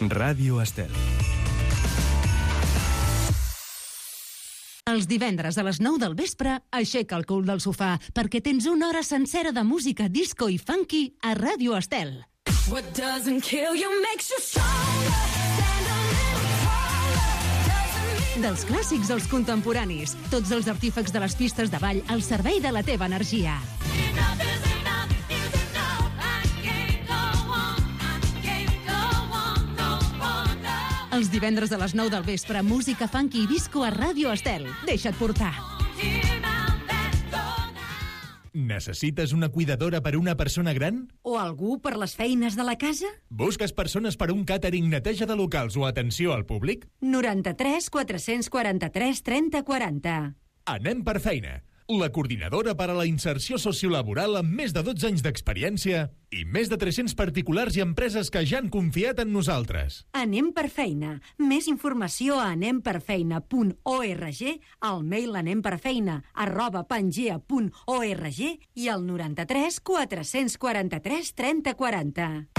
Ràdio Estel. Els divendres a les 9 del vespre, aixeca el cul del sofà, perquè tens una hora sencera de música disco i funky a Ràdio Estel. What doesn't kill you makes you stronger. Stand a little taller. Dels clàssics als contemporanis, tots els artífecs de les pistes de ball al servei de la teva energia. Enough is enough is enough. I can't go on. I can't go on no more. Els divendres a les 9 del vespre, música funky i disco a Ràdio Estel. Deixa't portar. Necessites una cuidadora per a una persona gran? O algú per les feines de la casa? Busques persones per a un càtering, neteja de locals o atenció al públic? 93 443 30 40. Anem per feina. La coordinadora per a la inserció sociolaboral amb més de 12 anys d'experiència i més de 300 particulars i empreses que ja han confiat en nosaltres. Anem per feina. Més informació a anemperfeina.org, al mail anemperfeina@pangea.org i al 93 443 30 40.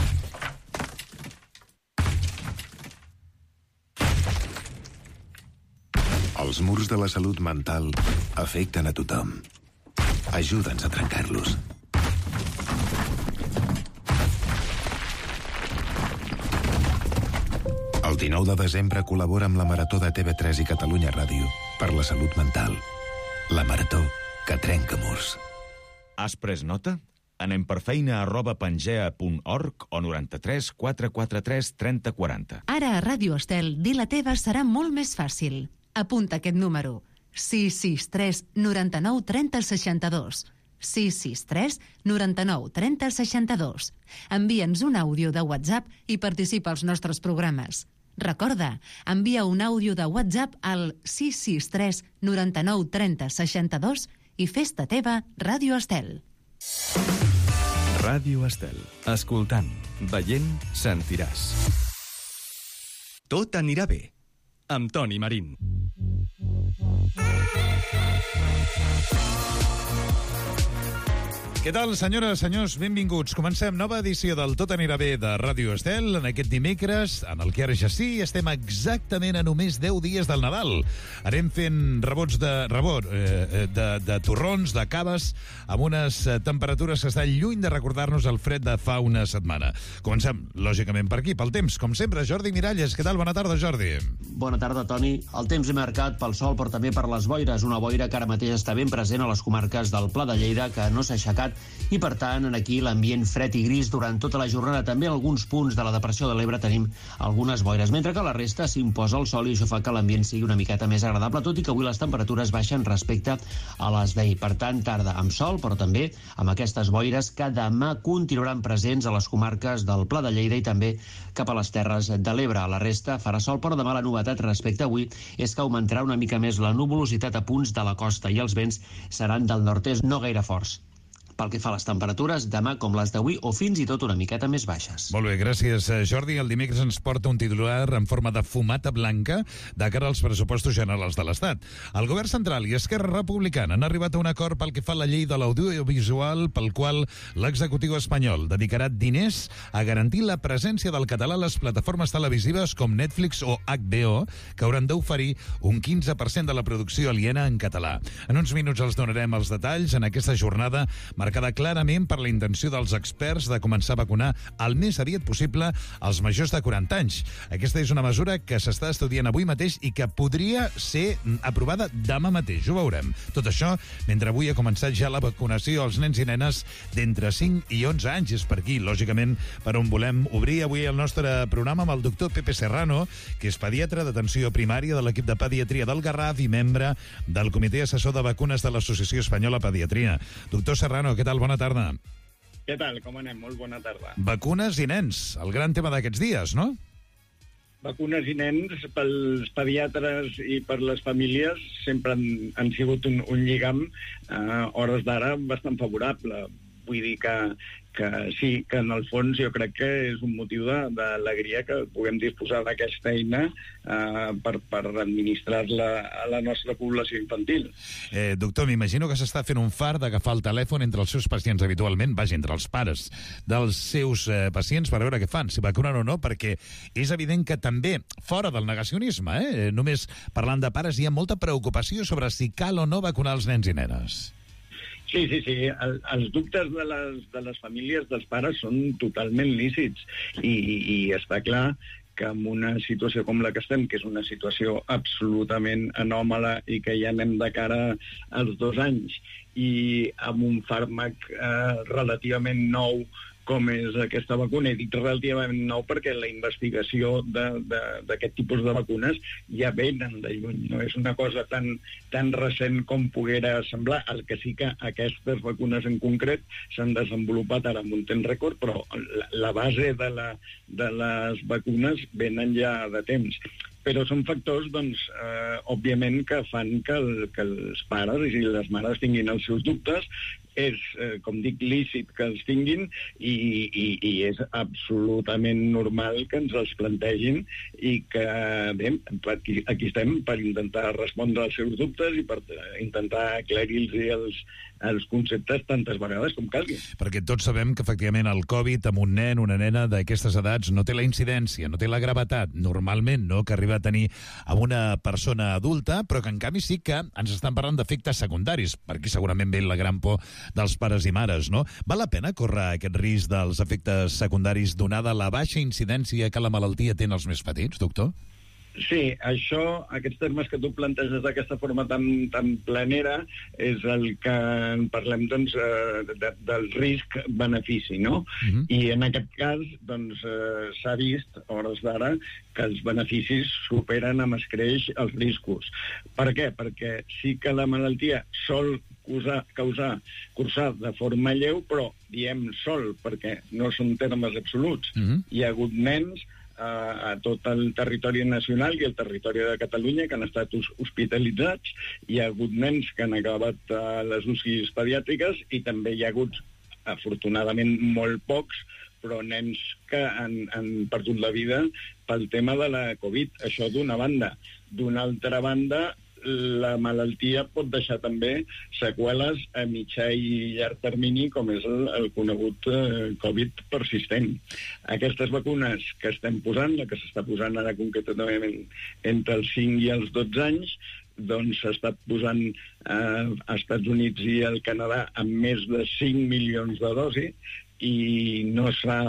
Els murs de la salut mental afecten a tothom. Ajuda'ns a trencar-los. El 19 de desembre col·labora amb la Marató de TV3 i Catalunya Ràdio per la salut mental. La Marató que trenca murs. Has pres nota? Anem per feina@pangea.org o 93 443 30 40. Ara a Ràdio Estel, dir la teva serà molt més fàcil. Apunta aquest número: 663 99 30 62. 663 99 30 62. Envia'ns un àudio de WhatsApp i participa als nostres programes. Recorda, envia un àudio de WhatsApp al 663 99 30 62 i fes-te teva Ràdio Estel. Ràdio Estel. Escoltant, veient, sentiràs. Tot anirà bé. Amb Toni Marín. Què tal, senyores, senyors? Benvinguts. Comencem nova edició del Tot anirà bé de Ràdio Estel en aquest dimecres, en el que ara ja sí, estem exactament a només 10 dies del Nadal. Anem fent rebots de torrons, de caves, amb unes temperatures que estan lluny de recordar-nos el fred de fa una setmana. Comencem, lògicament, per aquí, pel temps. Com sempre, Jordi Miralles. Què tal? Bona tarda, Jordi. Bona tarda, Toni. El temps marcat pel sol, però també per les boires. Una boira que ara mateix està ben present a les comarques del Pla de Lleida, que no s'ha aixecat, i per tant aquí l'ambient fred i gris durant tota la jornada. També en alguns punts de la depressió de l'Ebre tenim algunes boires, mentre que a la resta s'imposa el sol i això fa que l'ambient sigui una miqueta més agradable, tot i que avui les temperatures baixen respecte a les d'ahir. Per tant, tarda amb sol, però també amb aquestes boires que demà continuaran presents a les comarques del Pla de Lleida i també cap a les Terres de l'Ebre. A la resta farà sol, però demà la novetat respecte a avui és que augmentarà una mica més la nuvolositat a punts de la costa i els vents seran del nord-est, no gaire forts. Pel que fa a les temperatures, demà com les d'avui o fins i tot una miqueta més baixes. Molt bé, gràcies, Jordi. El dimecres ens porta un titular en forma de fumata blanca de cara als pressupostos generals de l'Estat. El govern central i Esquerra Republicana han arribat a un acord pel que fa a la llei de l'audiovisual, pel qual l'executiu espanyol dedicarà diners a garantir la presència del català a les plataformes televisives com Netflix o HBO, que hauran d'oferir un 15% de la producció aliena en català. En uns minuts els donarem els detalls en aquesta jornada marcada clarament per la intenció dels experts de començar a vacunar el més aviat possible als majors de 40 anys. Aquesta és una mesura que s'està estudiant avui mateix i que podria ser aprovada demà mateix. Ho veurem. Tot això mentre avui ha començat ja la vacunació als nens i nenes d'entre 5 i 11 anys. És per aquí, lògicament, per on volem obrir avui el nostre programa amb el doctor Pepe Serrano, que és pediatre d'atenció primària de l'equip de pediatria del Garraf i membre del Comitè Assessor de Vacunes de l'Associació Espanyola Pediatria. Doctor Serrano, què tal? Bona tarda. Què tal? Com anem? Molt bona tarda. Vacunes i nens, el gran tema d'aquests dies, no? Vacunes i nens, pels pediatres i per les famílies, sempre han sigut un lligam, a hores d'ara, bastant favorable. Vull dir que sí, que en el fons jo crec que és un motiu d'alegria que puguem disposar d'aquesta eina per administrar-la a la nostra població infantil. Doctor, m'imagino que s'està fent un fart d'agafar el telèfon entre els seus pacients habitualment, entre els pares dels seus pacients per veure què fan, si vacunen o no, perquè és evident que també, fora del negacionisme, només parlant de pares, hi ha molta preocupació sobre si cal o no vacunar els nens i nenes. Sí. Els dubtes de les famílies dels pares són totalment lícits i està clar que en una situació com la que estem, que és una situació absolutament anòmala i que ja anem de cara als 2 anys, i amb un fàrmac relativament nou com és aquesta vacuna, i dic relativament nou perquè la investigació d'aquest tipus de vacunes ja venen de lluny, no és una cosa tan recent com poguera semblar. El que sí que aquestes vacunes en concret s'han desenvolupat ara en un temps rècord, però la base de les vacunes venen ja de temps. Però són factors, doncs, òbviament, que fan que els pares i les mares tinguin els seus dubtes. És, com dic, lícit que els tinguin i és absolutament normal que ens els plantegin i que, bé, aquí estem per intentar respondre als seus dubtes i per intentar aclarir-los els conceptes tantes vegades com calgui. Perquè tots sabem que, efectivament, el Covid amb un nen, una nena d'aquestes edats no té la incidència, no té la gravetat, normalment, no?, que arriba a tenir amb una persona adulta, però que, en canvi, sí que ens estan parlant d'efectes secundaris. Per aquí segurament ve la gran por dels pares i mares, no? Val la pena córrer aquest risc dels efectes secundaris donada la baixa incidència que la malaltia té en els més petits, doctor? Sí, aquests termes que tu planteges d'aquesta forma tan planera és el que en parlem, doncs, del risc-benefici, no? I en aquest cas, doncs, s'ha vist, a hores d'ara, que els beneficis superen amb escreix els riscos. Per què? Perquè sí que la malaltia sol cursar de forma lleu, però diem sol, perquè no són termes absoluts. Hi ha hagut nens a tot el territori nacional i el territori de Catalunya que han estat hospitalitzats. Hi ha hagut nens que han acabat a les UCIs pediàtriques i també hi ha hagut, afortunadament, molt pocs, però nens que han perdut la vida pel tema de la Covid. Això d'una banda. D'una altra banda, la malaltia pot deixar també seqüeles a mitjà i llarg termini, com és el conegut Covid persistent. Aquestes vacunes que estem posant, la que s'està posant ara concretament entre els 5 i els 12 anys, doncs s'està posant a Estats Units i al Canadà amb més de 5 milions de dosis i no s'ha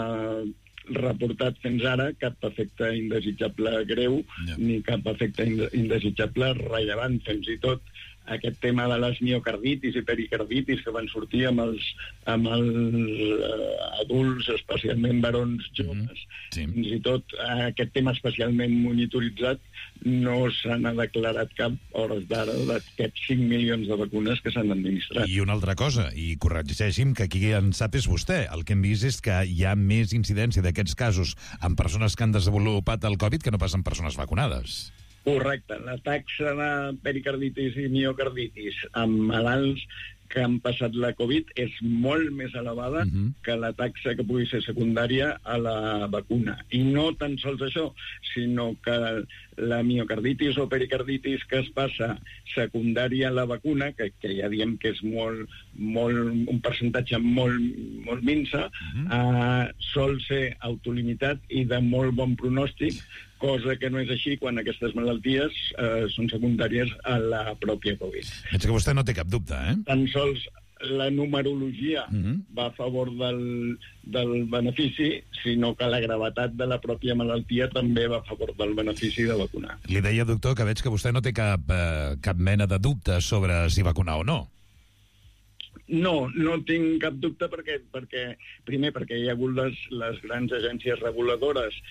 reportat fins ara cap efecte indesitjable greu ni cap efecte indesitjable rellevant. Fins i tot aquest tema de les miocarditis i pericarditis que van sortir amb els adults, especialment barons joves, fins i tot aquest tema especialment monitoritzat, no se n'ha declarat cap hores d'ara d'aquests 5 milions de vacunes que s'han administrat. I una altra cosa, i corregeixi'm, que aquí en sap és vostè, el que hem vist és que hi ha més incidència d'aquests casos en persones que han desenvolupat el Covid que no pas en persones vacunades. Correcte. La taxa de pericarditis i miocarditis amb malalts que han passat la Covid és molt més elevada que la taxa que pugui ser secundària a la vacuna. I no tan sols això, sinó que la miocarditis o pericarditis que es passa secundària a la vacuna, que ja diem que és un percentatge molt minsa, sol ser autolimitat i de molt bon pronòstic, cosa que no és així quan aquestes malalties són secundàries a la pròpia Covid. Veig que vostè no té cap dubte, Tan sols la numerologia va a favor del benefici, sinó que la gravetat de la pròpia malaltia també va a favor del benefici de vacunar. Li deia, doctor, que veig que vostè no té cap mena de dubte sobre si vacunar o no. No tinc cap dubte perquè primer, perquè hi ha hagut les grans agències reguladores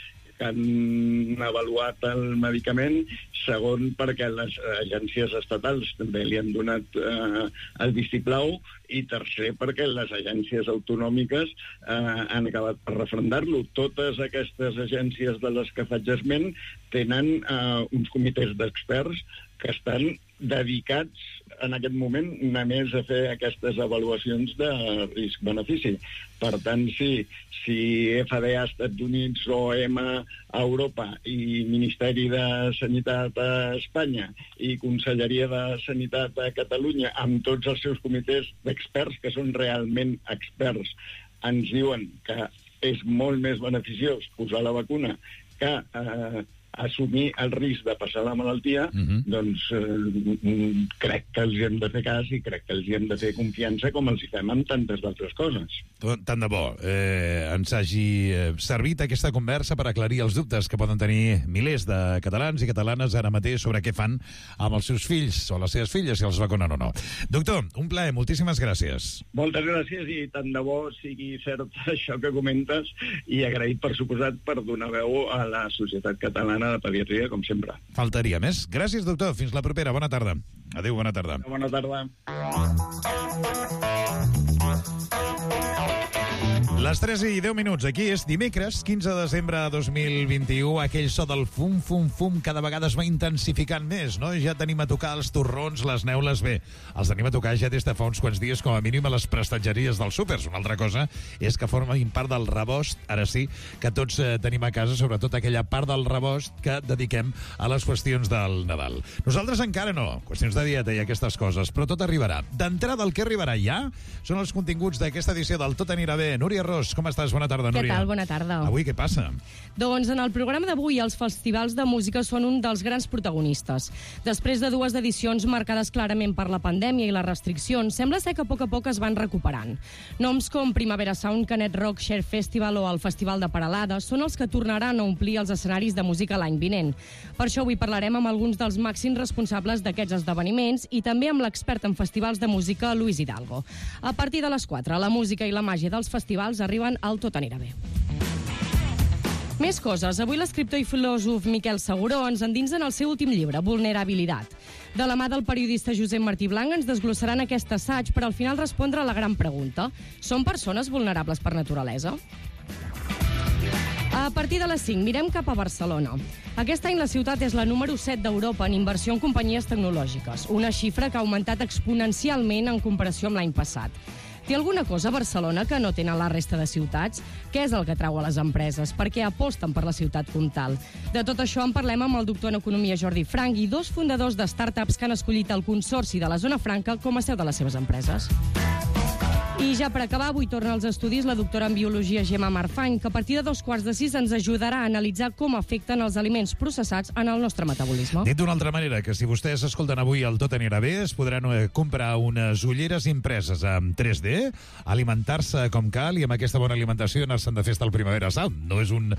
que han avaluat el medicament, segon, perquè les agències estatals també li han donat el vistiplau, i tercer, perquè les agències autonòmiques han acabat per referendar-lo. Totes aquestes agències de les que faig esment tenen uns comitès d'experts que estan dedicats en aquest moment només a fer aquestes avaluacions de risc-benefici. Per tant, si FDA als Estats Units, OM a Europa i Ministeri de Sanitat a Espanya i Conselleria de Sanitat a Catalunya, amb tots els seus comitès d'experts, que són realment experts, ens diuen que és molt més beneficiós posar la vacuna que assumir el risc de passar la malaltia, doncs crec que els hem de fer cas i crec que els hem de fer confiança com els hi fem amb tantes d'altres coses. Tant de bo ens hagi servit aquesta conversa per aclarir els dubtes que poden tenir milers de catalans i catalanes ara mateix sobre què fan amb els seus fills o les seves filles, si els vacunen o no. Doctor, un plaer, moltíssimes gràcies. Moltes gràcies i tant de bo sigui cert això que comentes i agraït, per suposat, per donar veu a la societat catalana de pediatria, com sempre. Faltaria més. Gràcies, doctor. Fins la propera. Bona tarda. Adéu, bona tarda. Bona tarda. Les 3 i 10 minuts. Aquí és dimecres, 15 de desembre de 2021. Aquell so del fum, fum, fum cada vegada es va intensificant més, no? Ja tenim a tocar els torrons, les neules. Bé, els tenim a tocar ja des de fa uns quants dies, com a mínim a les prestatgeries dels súpers. Una altra cosa és que formin part del rebost, ara sí, que tots tenim a casa, sobretot aquella part del rebost que dediquem a les qüestions del Nadal. Nosaltres encara no, qüestions de dieta i aquestes coses, però tot arribarà. D'entrada, el que arribarà ja són els continguts d'aquesta edició del Tot anirà bé. Núria Ros, com estàs? Bona tarda, Núria. Què tal? Bona tarda. Avui què passa? Doncs en el programa d'avui els festivals de música són un dels grans protagonistes. Després de 2 edicions marcades clarament per la pandèmia i les restriccions, sembla ser que a poc es van recuperant. Noms com Primavera Sound, Canet Rock, Share Festival o el Festival de Peralada són els que tornaran a omplir els escenaris de música l'any vinent. Per això avui parlarem amb alguns dels màxims responsables d'aquests esdeveniments i també amb l'expert en festivals de música, Luis Hidalgo. A partir de les 4, la música i la màgia dels festivals arriben al Tot anirà bé. Més coses. Avui l'escriptor i filòsof Miquel Seguró ens endinsa en el seu últim llibre, Vulnerabilitat. De la mà del periodista Josep Martí Blanc ens desglossaran aquest assaig per al final respondre a la gran pregunta. Són persones vulnerables per naturalesa? A partir de les 5 mirem cap a Barcelona. Aquest any la ciutat és la número 7 d'Europa en inversió en companyies tecnològiques, una xifra que ha augmentat exponencialment en comparació amb l'any passat. Té alguna cosa a Barcelona que no tenen la resta de ciutats? Què és el que trau a les empreses? Per què aposten per la ciutat comtal? De tot això en parlem amb el doctor en economia Jordi Frank i 2 fundadors de startups que han escollit el Consorci de la Zona Franca com a seu de les seves empreses. I ja per acabar, avui torna als estudis la doctora en biologia Gemma Marfany, que a partir de 5:15 ens ajudarà a analitzar com afecten els aliments processats en el nostre metabolisme. Dit d'una altra manera, que si vostès escolten avui el Tot anirà bé, es podran comprar unes ulleres impreses amb 3D, alimentar-se com cal i amb aquesta bona alimentació anar-se'n de festa al Primavera Sound. No és un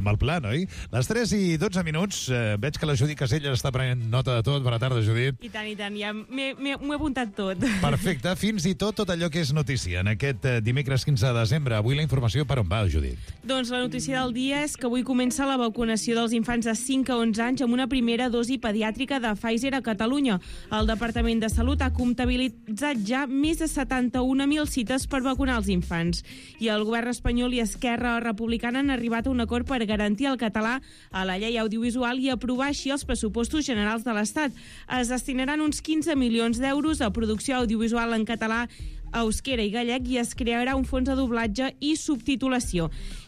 mal plan, oi? Les 3 i 12 minuts, veig que la Judit Casella està prenent nota de tot. Bona tarda, Judit. I tant, ja m'ho he apuntat tot. Perfecte, fins i tot allò que és notícia. En aquest dimecres 15 de desembre, avui la informació per on va, Judit? Doncs la notícia del dia és que avui comença la vacunació dels infants de 5 a 11 anys amb una primera dosi pediàtrica de Pfizer a Catalunya. El Departament de Salut ha comptabilitzat ja més de 71.000 cites per vacunar els infants. I el govern espanyol i Esquerra Republicana han arribat a un acord per garantir el català a la llei audiovisual i aprovar així els pressupostos generals de l'Estat. Es destinaran uns 15 milions d'euros a producció audiovisual en català, euskera i gallec i es crearà un fons de doblatge i subtitulació.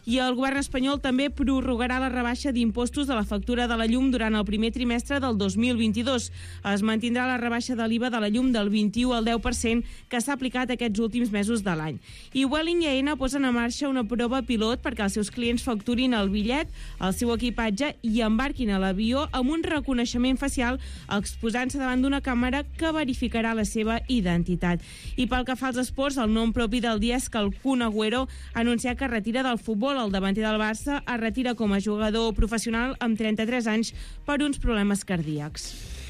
I el govern espanyol també prorrogarà la rebaixa d'impostos de la factura de la llum durant el primer trimestre del 2022. Es mantindrà la rebaixa de l'IVA de la llum del 21 al 10% que s'ha aplicat aquests últims mesos de l'any. I Vueling i Aena posen en marxa una prova pilot perquè els seus clients facturin el bitllet, el seu equipatge i embarquin a l'avió amb un reconeixement facial exposant-se davant d'una càmera que verificarà la seva identitat. I pel que fa als esports, el nom propi del dia és que el Kun Agüero ha anunciat que retira del futbol. El davanter del Barça es retira com a jugador professional amb 33 anys per uns problemes cardíacs.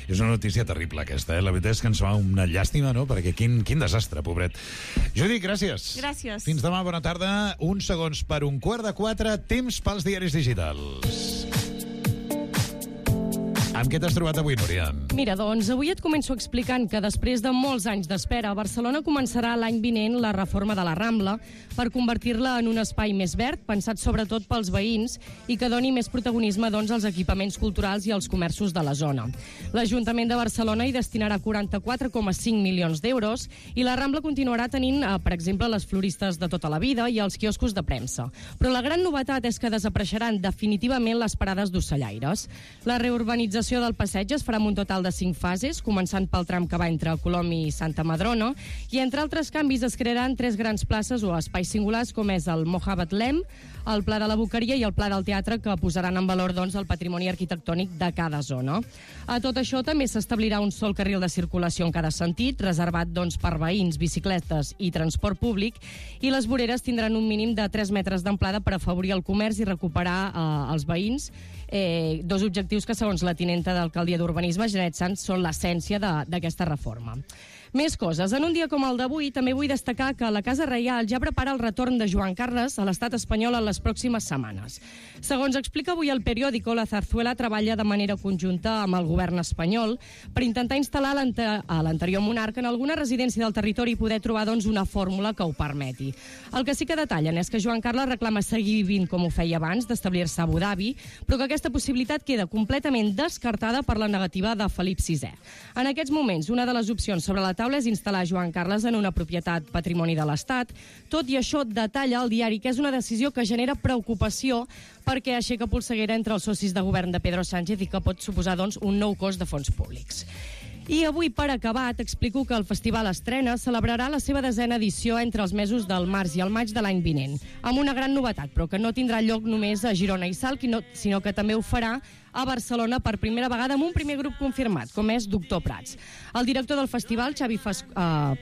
És una notícia terrible aquesta, La veritat és que ens fa una llàstima, no? Perquè quin desastre, pobret. Judit, gràcies. Gràcies. Fins demà, bona tarda. Uns segons per 3:15, temps pels diaris digitals. Amb què t'has trobat avui, Núria? Mira, doncs avui et començo explicant que després de molts anys d'espera, Barcelona començarà l'any vinent la reforma de la Rambla per convertir-la en un espai més verd, pensat sobretot pels veïns i que doni més protagonisme als equipaments culturals i als comerços de la zona. L'Ajuntament de Barcelona hi destinarà 44,5 milions d'euros i la Rambla continuarà tenint, per exemple, les floristes de tota la vida i els quioscos de premsa. Però la gran novetat és que desapareixeran definitivament les parades d'ocellaires. La reurbanització del passeig es farà amb un total de 5 fases, començant pel tram que va entre Colom i Santa Madrona, i entre altres canvis es crearan 3 grans places o espais singulars, com és el Moja Betlem, el Pla de la Boqueria i el Pla del Teatre, que posaran en valor el patrimoni arquitectònic de cada zona. A tot això també s'establirà un sol carril de circulació en cada sentit, reservat per veïns, bicicletes i transport públic, i les voreres tindran un mínim de 3 metres d'amplada per afavorir el comerç i recuperar els veïns, 2 objectius que, segons la tinenta d'Alcaldia d'Urbanisme, Janet Sanz, són l'essència d'aquesta reforma. Més coses. En un dia com el d'avui, també vull destacar que la Casa Reial ja prepara el retorn de Joan Carles a l'estat espanyol en les pròximes setmanes. Segons explica avui el periòdico, la Zarzuela treballa de manera conjunta amb el govern espanyol per intentar instal·lar a l'anterior monarca en alguna residència del territori i poder trobar una fórmula que ho permeti. El que sí que detallen és que Joan Carles reclama seguir vivint com ho feia abans, d'establir-se a Abu Dhabi, però que aquesta possibilitat queda completament descartada per la negativa de Felip VI. En aquests moments, una de les opcions sobre la taula és instal·lar Joan Carles en una propietat patrimoni de l'Estat. Tot i això, detalla el diari que és una decisió que genera preocupació perquè aixeca polseguera entre els socis de govern de Pedro Sánchez i que pot suposar, un nou cost de fons públics. I avui, per acabar, t'explico que el Festival Estrena celebrarà la seva 10a edició entre els mesos del març i el maig de l'any vinent, amb una gran novetat, però que no tindrà lloc només a Girona i Salt, sinó que també ho farà a Barcelona per primera vegada amb un primer grup confirmat, com és Doctor Prats. El director del festival, Xavi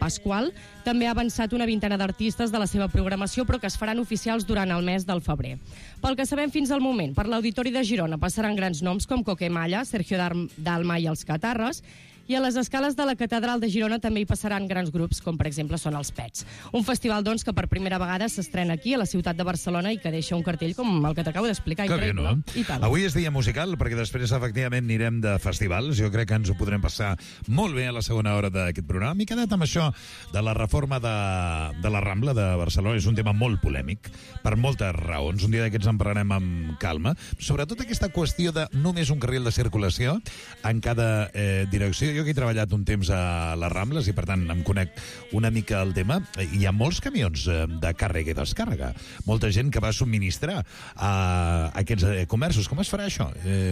Pasqual, també ha avançat una vintena d'artistes de la seva programació, però que es faran oficials durant el mes del febrer. Pel que sabem fins al moment, per l'Auditori de Girona passaran grans noms com Coquemalla, Sergio Dalma i els Catarres, i a les escales de la Catedral de Girona també hi passaran grans grups, com per exemple són els Pets. Un festival, que per primera vegada s'estrena aquí, a la ciutat de Barcelona, i que deixa un cartell com el que t'acabo d'explicar. Que bé, no? Avui és dia musical, perquè després, efectivament, anirem de festivals. Jo crec que ens ho podrem passar molt bé a la segona hora d'aquest programa. M'he quedat amb això de la reforma de la Rambla de Barcelona. És un tema molt polèmic, per moltes raons. Un dia d'aquests en parlarem amb calma. Sobretot aquesta qüestió de només un carril de circulació en cada direcció. Jo que he treballat un temps a les Rambles i, per tant, em conec una mica el tema. Hi ha molts camions de càrrega i descàrrega. Molta gent que va subministrar a aquests comerços. Com es farà això?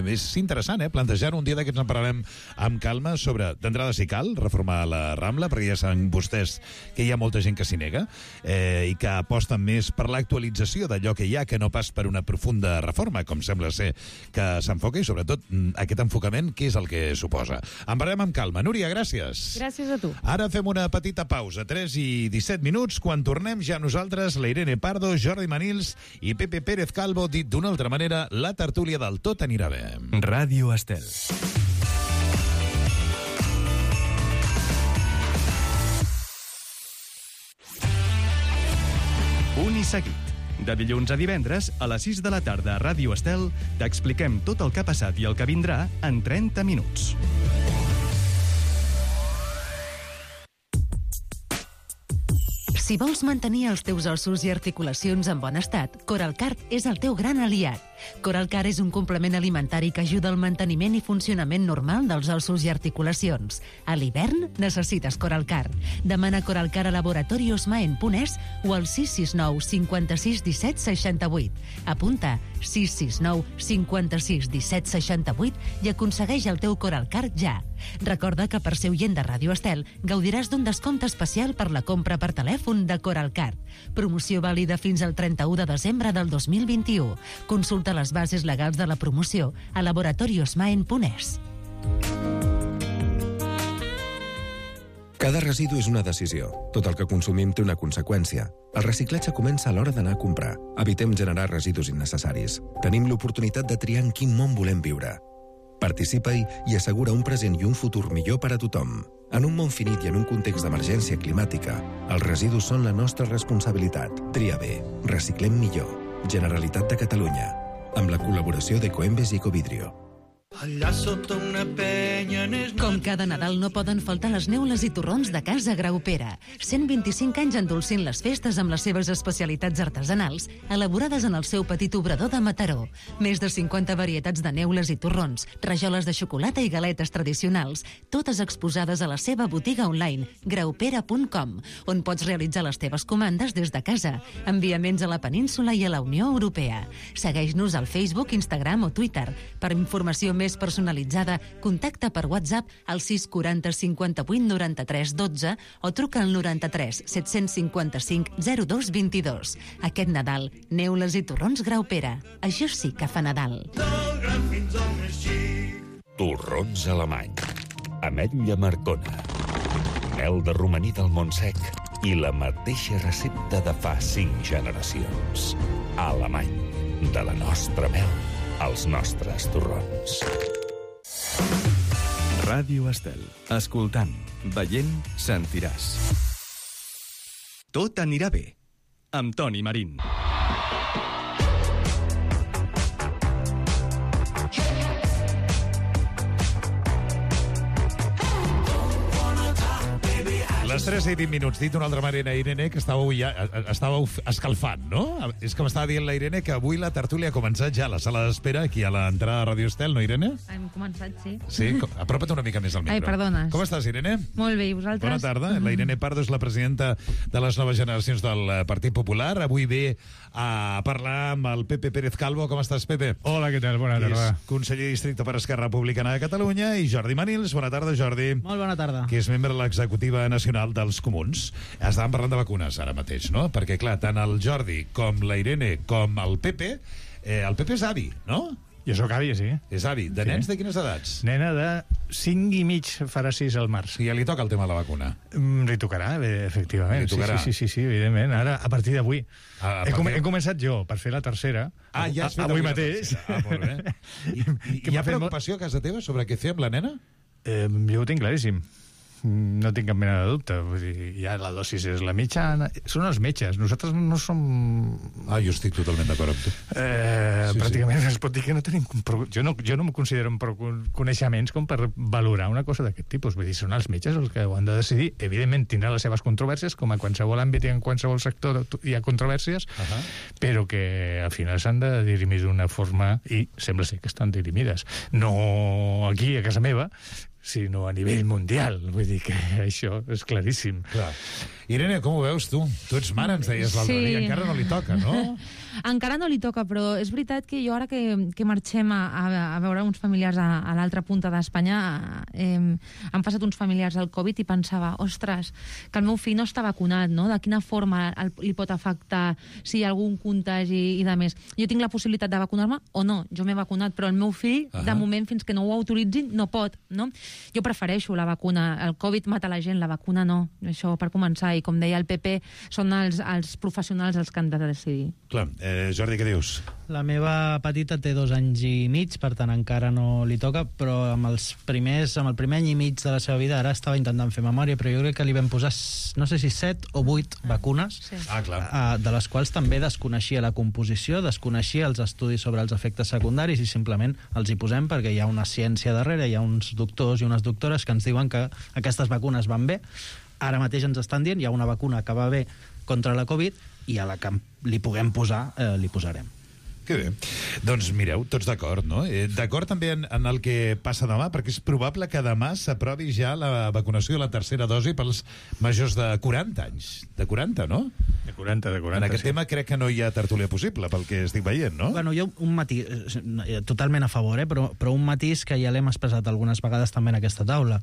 És interessant, plantejar un dia d'aquests en parlarem amb calma sobre, d'entrada, si cal reformar la Rambla, perquè ja saben vostès que hi ha molta gent que s'hi nega i que aposten més per l'actualització d'allò que hi ha, que no pas per una profunda reforma, com sembla ser que s'enfoca, i sobretot aquest enfocament, què és el que suposa. En parlarem amb calma. Núria, gràcies. Gràcies a tu. Ara fem una petita pausa, 3 i 17 minuts. Quan tornem ja nosaltres, la Irene Pardo, Jordi Manils i Pepe Pérez Calvo, dit d'una altra manera, la tertúlia del Tot anirà bé. Ràdio Estel. Un i seguit. De dilluns a divendres, a les 6 de la tarda a Ràdio Estel, t'expliquem tot el que ha passat i el que vindrà en 30 minuts. Si vols mantenir els teus ossos i articulacions en bon estat, Coralcart és el teu gran aliat. Coralcart és un complement alimentari que ajuda al manteniment i funcionament normal dels ossos i articulacions. A l'hivern necessites Coralcart. Demana Coralcart a laboratoriosmaen.es o al 669 56 17 68. Apunta 669 56 17 68 i aconsegueix el teu Coralcart ja. Recorda que per ser oient de Ràdio Estel gaudiràs d'un descompte especial per la compra per telèfon de Coralcart. Promoció vàlida fins al 31 de desembre del 2021. Consulta les bases legals de la promoció a laboratoriosmaen.es. Cada residu és una decisió. Tot el que consumim té una conseqüència. El reciclatge comença a l'hora d'anar a comprar. Evitem generar residus innecessaris. Tenim l'oportunitat de triar en quin món volem viure. Participa-hi i assegura un present i un futur millor per a tothom. En un món finit i en un context d'emergència climàtica, els residus són la nostra responsabilitat. Tria bé. Reciclem millor. Generalitat de Catalunya. Amb la col·laboració de Coembes i Ecovidrio. allà sota una penya n'és... Com cada Nadal no poden faltar les neules i torrons de Casa Graupera. 125 anys endolcint les festes amb les seves especialitats artesanals, elaborades en el seu petit obrador de Mataró. Més de 50 varietats de neules i torrons, rajoles de xocolata i galetes tradicionals, totes exposades a la seva botiga online, graupera.com, on pots realitzar les teves comandes des de casa. Enviaments a la península i a la Unió Europea. Segueix-nos al Facebook, Instagram o Twitter. Per informació més personalitzada, contacta per WhatsApp al 640 58 93 12 o truca al 93 755 02 22. Aquest Nadal, neules i torrons Graupera. Això sí que fa Nadal. Torrons alemany. Ametlla marcona. Mel de romaní del Montsec i la mateixa recepta de fa 5 generacions. Alemany. De la nostra mel als nostres torrons. Ràdio Estel. Escoltant, veient, sentiràs. Tot anirà bé. Amb Toni Marín. Les 3 i 20 minuts. Dit d'una altra manera, Irene, que estàveu escalfant, no? És que m'estava dient la Irene que avui la tertúlia ha començat ja a la sala d'espera, aquí a l'entrada de Ràdio Estel, no, Irene? Hem començat, sí. Sí? Apropa't una mica més al micro. Ai, perdona. Com estàs, Irene? Molt bé, i vosaltres? Bona tarda. La Irene Pardo és la presidenta de les noves generacions del Partit Popular. Avui ve a parlar amb el Pepe Pérez Calvo. Com estàs, Pepe? Hola, què tal? Bona tarda. És conseller de districte per Esquerra Republicana de Catalunya, i Jordi Manils. Bona tarda, Jordi. Molt bona tarda. Que és membre de l'executiva nacional dels Comuns. Estàvem parlant de vacunes ara mateix, no? Perquè, clar, tant el Jordi com la Irene com el Pepe és avi, no? Jo sóc avi, sí. És avi. De nens de quines edats? Nena de 5 i mig, farà 6 al març. I ja li toca el tema de la vacuna? Li tocarà, efectivament. Li tocarà. Sí, evidentment. Ara, a partir d'avui. He començat jo, per fer la tercera. Ja has fet avui mateix. Molt bé. I hi ha preocupació a casa teva sobre què fer amb la nena? Jo ho tinc claríssim. No tinc cap mena de dubte. Vull dir, ja la dosis és la mitjana. Són els metges. Nosaltres no som... Jo estic totalment d'acord amb tu. Pràcticament es pot dir que no tenim... Jo no em considero amb prou coneixements com per valorar una cosa d'aquest tipus. Vull dir, són els metges els que ho han de decidir. Evidentment tindrà les seves controvèrsies, com a qualsevol àmbit i en qualsevol sector hi ha controvèrsies, però que al final s'han de dirimir d'una forma, i sembla ser que estan dirimides. No aquí, a casa meva, sinó a nivell mundial. Vull dir que això és claríssim. Clar. Irene, com ho veus tu? Tu ets mare, ens deies l'altre dia. Encara no li toca, no? Encara no li toca, però és veritat que jo ara que marxem a veure uns familiars a l'altra punta d'Espanya, han passat uns familiars al Covid i pensava, ostres, que el meu fill no està vacunat, no? De quina forma li pot afectar si hi ha algun contagi i de més. Jo tinc la possibilitat de vacunar-me o no? Jo m'he vacunat, però el meu fill, de moment, fins que no ho autoritzin, no pot, no? Jo prefereixo la vacuna. El Covid mata la gent, la vacuna no. Això per començar. I com deia el PP, són els professionals els que han de decidir. Clar. Jordi, què dius? La meva petita té 2 anys i mig, per tant encara no li toca, però amb el primer any i mig de la seva vida, ara estava intentant fer memòria, però jo crec que li vam posar, no sé si 7 o 8 vacunes, de les quals també desconeixia la composició, desconeixia els estudis sobre els efectes secundaris, i simplement els hi posem perquè hi ha una ciència darrere, hi ha uns doctors i unes doctores que ens diuen que aquestes vacunes van bé. Ara mateix ens estan dient, hi ha una vacuna que va bé contra la Covid, i a la que li puguem posar, li posarem. Que bé. Doncs mireu, tots d'acord, no? D'acord també en el que passa demà, perquè és probable que demà s'aprovi ja la vacunació de la tercera dosi pels majors de 40 anys. De 40, no? De 40, En aquest tema crec que no hi ha tertúlia possible, pel que estic veient, no? Bueno, jo un matís, totalment a favor, però un matís que ja l'hem expressat algunes vegades també en aquesta taula.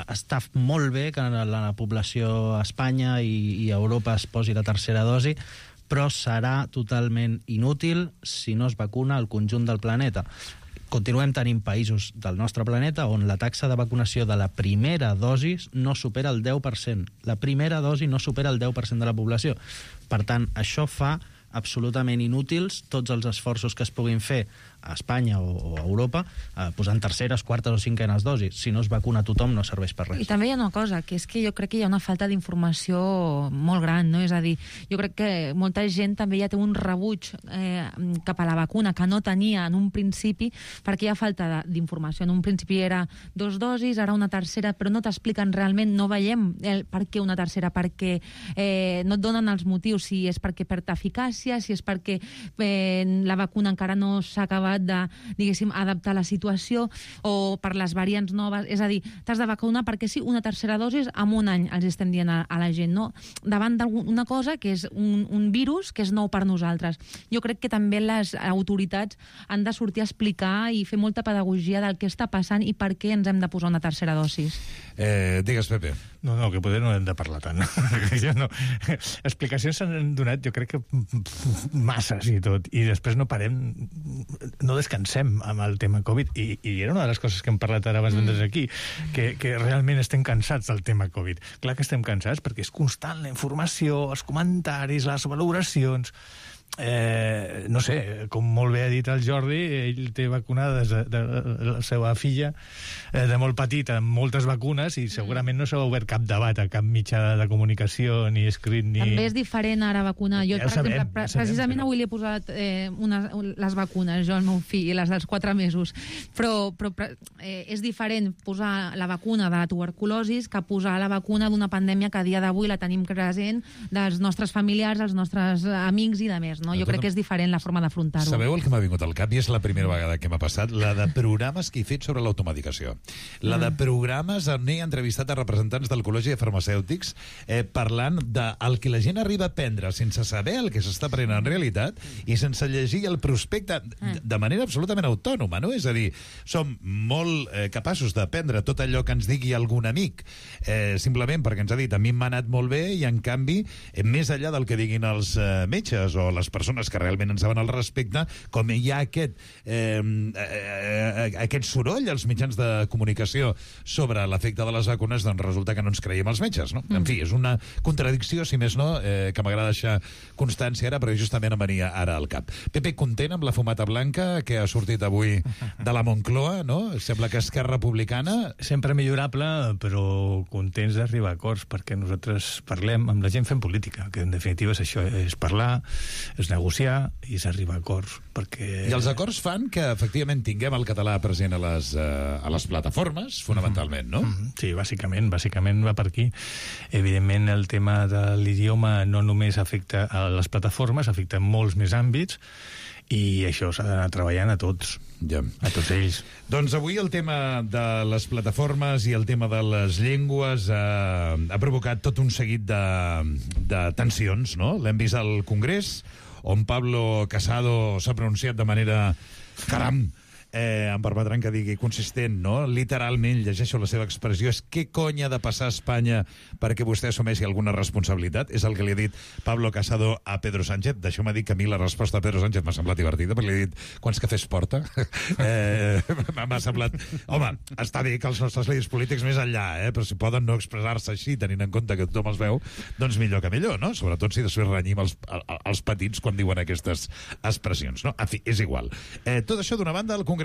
Està molt bé que la població a Espanya i a Europa es posi la tercera dosi, però serà totalment inútil si no es vacuna el conjunt del planeta. Continuem tenint països del nostre planeta on la taxa de vacunació de la primera dosi no supera el 10%. La primera dosi no supera el 10% de la població. Per tant, això fa absolutament inútils tots els esforços que es puguin fer a Espanya o a Europa posant terceres, quartes o cinquenes dosis. Si no es vacuna tothom no serveix per res. I també hi ha una cosa, que és que jo crec que hi ha una falta d'informació molt gran, no? És a dir, jo crec que molta gent també ja té un rebuig cap a la vacuna que no tenia en un principi, perquè hi ha falta d'informació. En un principi era 2 dosis, ara una tercera, però no t'expliquen realment, no veiem per què una tercera, perquè no et donen els motius, si és perquè perd eficàcia, si és perquè la vacuna encara no s'ha acabat de, diguéssim, adaptar la situació, o per les variants noves. És a dir, t'has de vacunar perquè sí, una tercera dosis en un any, els estem dient a la gent, no? Davant d'una cosa que és un virus que és nou per nosaltres. Jo crec que també les autoritats han de sortir a explicar i fer molta pedagogia del que està passant i per què ens hem de posar una tercera dosis. Digues, Pepe. No, que poder no hem de parlar tant. Jo no. Explicacions s'han donat, jo crec que masses i tot, i després no parem, no descansem amb el tema Covid, i era una de les coses que hem parlat ara abans d'entrar aquí, que realment estem cansats del tema Covid. Clar que estem cansats perquè és constant la informació, els comentaris, les valoracions. No sé, com molt bé ha dit el Jordi, ell té vacunada la seva filla de molt petita amb moltes vacunes i segurament no s'ha obert cap debat a cap mitjà de comunicació ni escrit ni... També és diferent ara vacunar. Jo, per exemple, precisament avui li he posat les vacunes, jo al meu fill, les dels 4 mesos, però és diferent posar la vacuna de la tuberculosis que posar la vacuna d'una pandèmia que a dia d'avui la tenim present dels nostres familiars, els nostres amics i de més. No? Jo crec que és diferent la forma d'afrontar-ho. Sabeu el que m'ha vingut al cap? I és la primera vegada que m'ha passat, la de programes que he fet sobre l'automedicació. La de programes on he entrevistat a representants del Col·legi de Farmacèutics parlant del que la gent arriba a prendre sense saber el que s'està prenent en realitat i sense llegir el prospecte de manera absolutament autònoma, no? És a dir, som molt capaços de prendre tot allò que ens digui algun amic, simplement perquè ens ha dit a mi m'ha anat molt bé i, en canvi, més enllà del que diguin els metges o les persones que realment en saben al respecte, com hi ha aquest soroll als mitjans de comunicació sobre l'efecte de les vacunes, doncs resulta que no ens creiem els metges, no? En fi, és una contradicció, si més no, que m'agrada deixar constància ara, però justament em venia ara al cap. Pepe, content amb la fumata blanca que ha sortit avui de la Moncloa, no? Sembla que Esquerra Republicana... Sempre millorable, però contents d'arribar a acords, perquè nosaltres parlem amb la gent fent política, que en definitiva és això, és parlar, és negociar i és arribar a acords, perquè... I els acords fan que, efectivament, tinguem el català present a les plataformes, fonamentalment, no? Sí, bàsicament va per aquí. Evidentment, el tema de l'idioma no només afecta a les plataformes, afecta molts més àmbits, i això s'ha d'anar treballant a tots, a tots ells. Doncs avui el tema de les plataformes i el tema de les llengües ha provocat tot un seguit de tensions, no? L'hem vist al Congrés, on Pablo Casado s'ha pronunciat de manera... Caram! Em permetran que digui consistent, no? Literalment, llegeixo la seva expressió, és què cony ha de passar a Espanya perquè vostè assumeixi alguna responsabilitat? És el que li ha dit Pablo Casado a Pedro Sánchez. D'això m'ha dit que a mi la resposta a Pedro Sánchez m'ha semblat divertida, perquè li he dit, quants cafès porta? M'ha semblat... Home, està bé que els nostres líders polítics més enllà, però si poden no expressar-se així, tenint en compte que tothom els veu, doncs millor que millor, no? Sobretot si després renyim els petits quan diuen aquestes expressions, no? En fi, és igual. Tot això d'una banda al Congrés.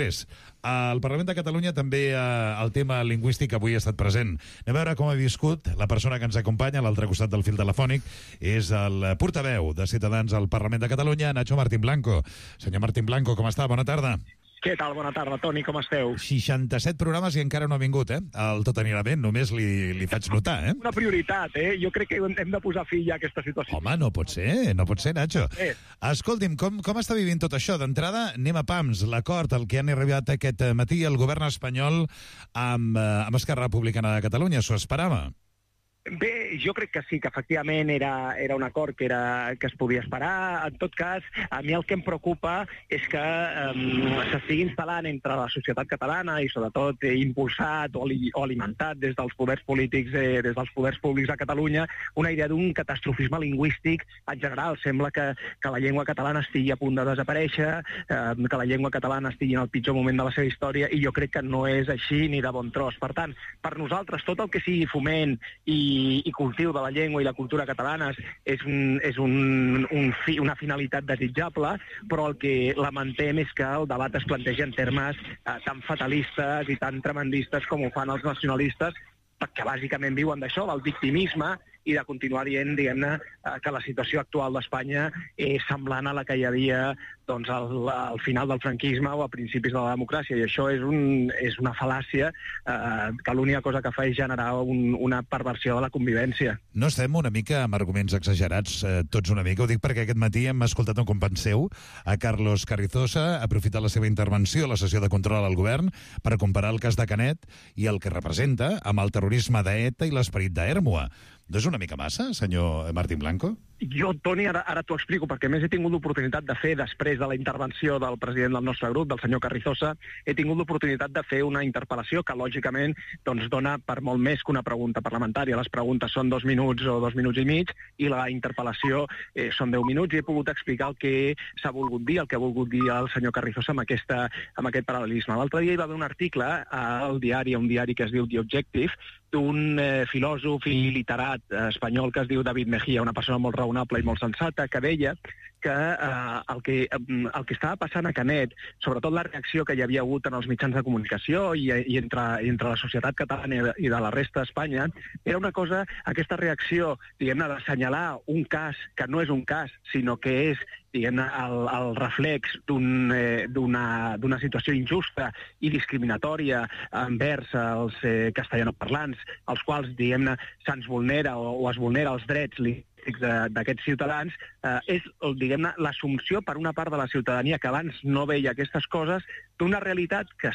Al Parlament de Catalunya també el tema lingüístic avui ha estat present. Anem a veure com ha viscut la persona que ens acompanya a l'altre costat del fil telefònic. És el portaveu de Ciutadans al Parlament de Catalunya, Nacho Martín Blanco. Senyor Martín Blanco, com està? Bona tarda. Què tal? Bona tarda, Toni, com esteu? 67 programes i encara no ha vingut, El Tot anirà bé, només li faig notar, Una prioritat, Jo crec que hem de posar fi a aquesta situació. Home, no pot ser, Nacho. Escolti'm, com està vivint tot això? D'entrada, anem a pams. L'acord al que han arribat aquest matí el govern espanyol amb Esquerra Republicana de Catalunya, s'ho esperava? Bé, jo crec que sí, que efectivament era un acord que es podia esperar. En tot cas, a mi el que em preocupa és que s'estigui instal·lant entre la societat catalana i sobretot impulsat o alimentat des dels poders polítics, des dels poders públics de Catalunya, una idea d'un catastrofisme lingüístic en general. Sembla que la llengua catalana estigui a punt de desaparèixer, que la llengua catalana estigui en el pitjor moment de la seva història, i jo crec que no és així ni de bon tros. Per tant, per nosaltres, tot el que sigui foment i i cultiu de la llengua i la cultura catalanes és una finalitat desitjable, però el que lamentem és que el debat es planteja en termes tan fatalistes i tan tremendistes com ho fan els nacionalistes, perquè bàsicament viuen d'això, del victimisme, i de continuar dient, diguem-ne, que la situació actual d'Espanya és semblant a la que hi havia doncs, al final del franquisme o a principis de la democràcia, i això és una fal·làcia que l'única cosa que fa és generar una perversió de la convivència. No estem una mica amb arguments exagerats, tots una mica? Ho dic perquè aquest matí hem escoltat un company seu, a Carlos Carrizosa, aprofitar la seva intervenció a la sessió de control al govern per comparar el cas de Canet i el que representa amb el terrorisme d'ETA i l'esperit d'Hèrmua. No és una mica massa, senyor Martín Blanco? Jo, Toni, ara t'ho explico, perquè més he tingut l'oportunitat de fer, després de la intervenció del president del nostre grup, del senyor Carrizosa, he tingut l'oportunitat de fer una interpel·lació que, lògicament, doncs, dona per molt més que una pregunta parlamentària. Les preguntes són 2 minuts o 2 minuts i mig, i la interpel·lació són 10 minuts, i he pogut explicar el que s'ha volgut dir, el que ha volgut dir el senyor Carrizosa amb aquest paral·lelisme. L'altre dia hi va haver un article al diari, un diari que es diu The Objective, d'un filòsof i literat espanyol que es diu David Mejía, una persona molt raonable i molt sensata, que deia que el que estava passant a Canet, sobretot la reacció que hi havia hagut en els mitjans de comunicació i entre la societat catalana i de la resta d'Espanya, era una cosa, aquesta reacció, diguem-ne, d'assenyalar un cas que no és un cas, sinó que és diguem-ne, el reflex d'una situació injusta i discriminatòria envers els castellanoparlants, als quals, diguem-ne, se'ns vulnera o es vulnera els drets d'aquests ciutadans, és, diguem-ne, l'assumpció per una part de la ciutadania que abans no veia aquestes coses d'una realitat que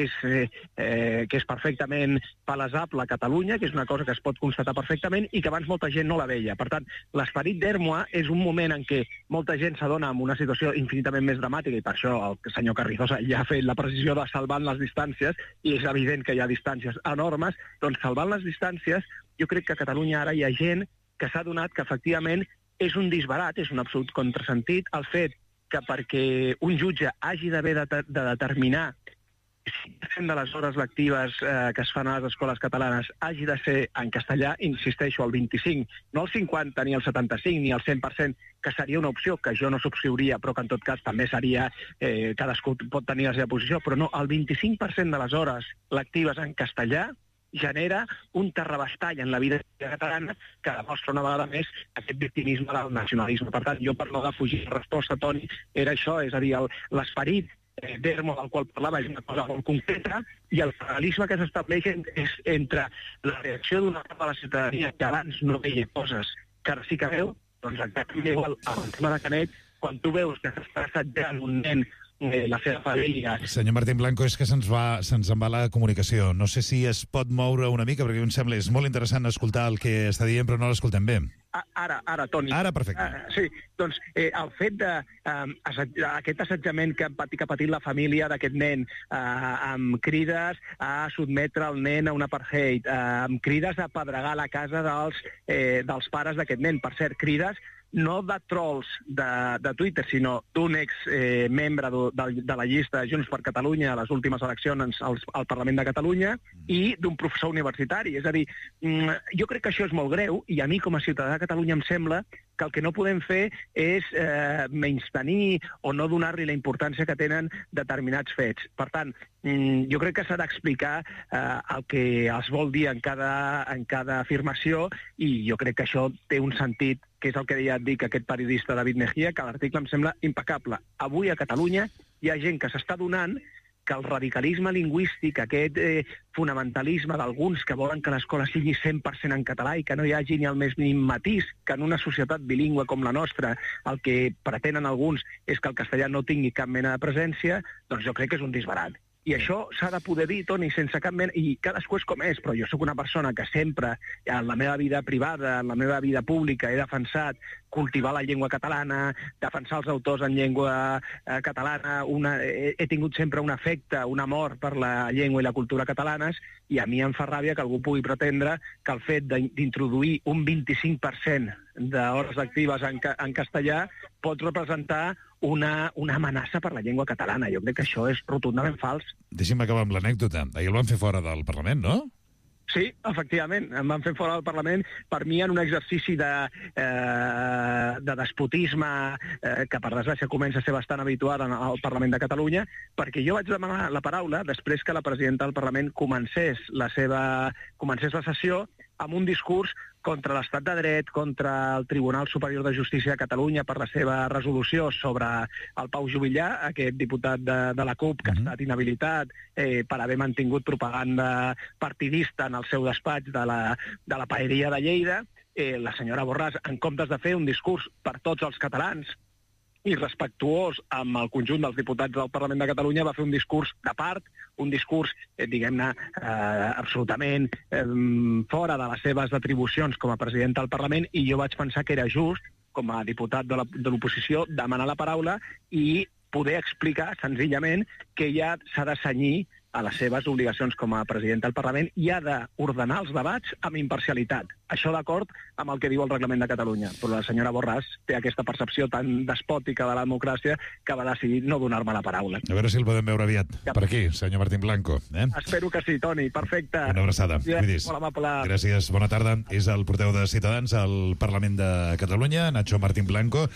és perfectament palesable a Catalunya, que és una cosa que es pot constatar perfectament i que abans molta gent no la veia. Per tant, l'esperit d'Hèrmua és un moment en què molta gent s'adona en una situació infinitament més dramàtica, i per això el senyor Carrizosa ja ha fet la precisió de salvant les distàncies, i és evident que hi ha distàncies enormes, doncs salvant les distàncies, jo crec que a Catalunya ara hi ha gent que s'ha adonat que efectivament és un disbarat, és un absolut contrasentit, el fet que perquè un jutge hagi d'haver de determinar si 100% de les hores lectives que es fan a les escoles catalanes hagi de ser en castellà, insisteixo, el 25, no el 50, ni el 75, ni el 100%, que seria una opció que jo no subscriuria, però que en tot cas també seria, cadascú pot tenir la seva posició, però no, el 25% de les hores lectives en castellà genera un terrabastall en la vida catalana que demostra una vegada més aquest victimisme del nacionalisme. Per tant, jo per no defugir la resposta, Toni, era això, és a dir, l'esperit d'Hèrmua del qual parlava és una cosa molt concreta, i el paral·lelisme que s'estableix és entre la reacció d'una part de la ciutadania que abans no veia coses que ara sí que veu, doncs exactament igual amb el tema de Canet, quan tu veus que s'està assetjant un nen la seva família. Senyor Martín Blanco, és que se'ns en va la comunicació. No sé si es pot moure una mica, perquè em sembla és molt interessant escoltar el que està dient, però no l'escoltem bé. Ara, Toni. Ara, perfecte. Sí, doncs el fet d'aquest assetjament que ha patit la família d'aquest nen, amb crides a sotmetre el nen a un apartheid, amb crides a pedregar la casa dels pares d'aquest nen, per cert, crides no de trolls de Twitter, sinó d'un exmembre de la llista Junts per Catalunya a les últimes eleccions al Parlament de Catalunya, i d'un professor universitari. És a dir, jo crec que això és molt greu, i a mi com a ciutadà de Catalunya em sembla que el que no podem fer és menystenir o no donar-li la importància que tenen determinats fets. Per tant, jo crec que s'ha d'explicar el que es vol dir en cada afirmació, i jo crec que això té un sentit, que és el que ja et dic, aquest periodista David Mejía, que l'article em sembla impecable. Avui a Catalunya hi ha gent que s'està donant que el radicalisme lingüístic, aquest fonamentalisme d'alguns que volen que l'escola sigui 100% en català i que no hi hagi ni el més mínim matís, que en una societat bilingüe com la nostra el que pretenen alguns és que el castellà no tingui cap mena de presència, doncs jo crec que és un disbarat. I això s'ha de poder dir, Toni, sense cap mena... I cadascú és com és, però jo sóc una persona que sempre, en la meva vida privada, en la meva vida pública, he defensat cultivar la llengua catalana, defensar els autors en llengua catalana, he tingut sempre un afecte, un amor per la llengua i la cultura catalanes, i a mi em fa ràbia que algú pugui pretendre que el fet d'introduir un 25% d'hores actives en castellà pot representar una amenaça per la llengua catalana. Jo crec que això és rotundament fals. Deixi'm acabar amb l'anècdota. Ahir el van fer fora del Parlament, no? Sí, efectivament, em van fer fora del Parlament, per mi en un exercici de despotisme que per desgràcia comença a ser bastant habitual al Parlament de Catalunya, perquè jo vaig demanar la paraula després que la presidenta del Parlament comencés la sessió amb un discurs contra l'estat de dret, contra el Tribunal Superior de Justícia de Catalunya per la seva resolució sobre el Pau Juvillà, aquest diputat de la CUP que ha estat inhabilitat per haver mantingut propaganda partidista en el seu despatx de la paeria de Lleida. La senyora Borràs, en comptes de fer un discurs per tots els catalans i respectuós amb el conjunt dels diputats del Parlament de Catalunya, va fer un discurs de part, un discurs, diguem-ne, absolutament fora de les seves atribucions com a president del Parlament, i jo vaig pensar que era just, com a diputat de l'oposició, demanar la paraula i poder explicar senzillament que ja s'ha de cenyir a les seves obligacions com a president del Parlament i ha d'ordenar els debats amb imparcialitat. Això d'acord amb el que diu el Reglament de Catalunya. Però la senyora Borràs té aquesta percepció tan despòtica de la democràcia que va decidir no donar-me la paraula. A veure si el podem veure aviat. Per aquí, senyor Martín Blanco. Espero que sí, Toni. Perfecte. Una abraçada. Cuidis. Molt amable. Gràcies. Bona tarda. És el portaveu de Ciutadans al Parlament de Catalunya, Nacho Martín Blanco.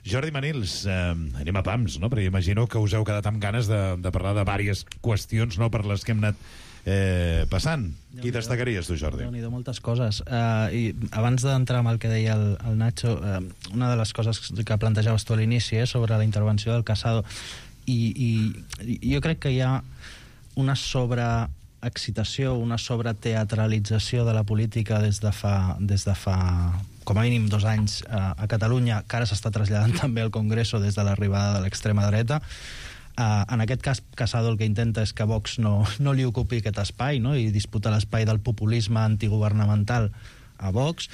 Jordi Manils, anem a pams, no? Perquè imagino que us heu quedat amb ganes de parlar de diverses qüestions, no?, per les que hem anat passant. Qui destacaries, tu, Jordi? Déu-n'hi-do, moltes coses. I abans d'entrar amb el que deia el Nacho, una de les coses que plantejaves tu a l'inici sobre la intervenció del Casado, i jo crec que hi ha una sobreexcitació, una sobreteatralització de la política des de fa com a mínim 2 anys a Catalunya, que ara s'està traslladant també al Congreso des de l'arribada de l'extrema dreta. En aquest cas, Casado el que intenta és que Vox no li ocupi aquest espai, no?, i disputa l'espai del populisme antigovernamental a Vox.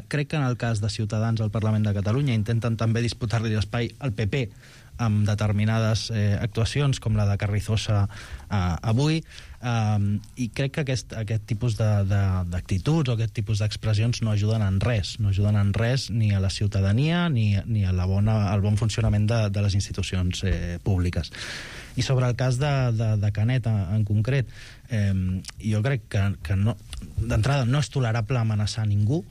Crec que en el cas de Ciutadans al Parlament de Catalunya intenten també disputar-li l'espai al PP amb determinades actuacions, com la de Carrizosa avui, i crec que aquest tipus d'actituds o aquest tipus d'expressions no ajuden en res, ni a la ciutadania ni al bon funcionament de les institucions públiques. I sobre el cas de Canet en concret, jo crec que d'entrada no és tolerable amenaçar ningú,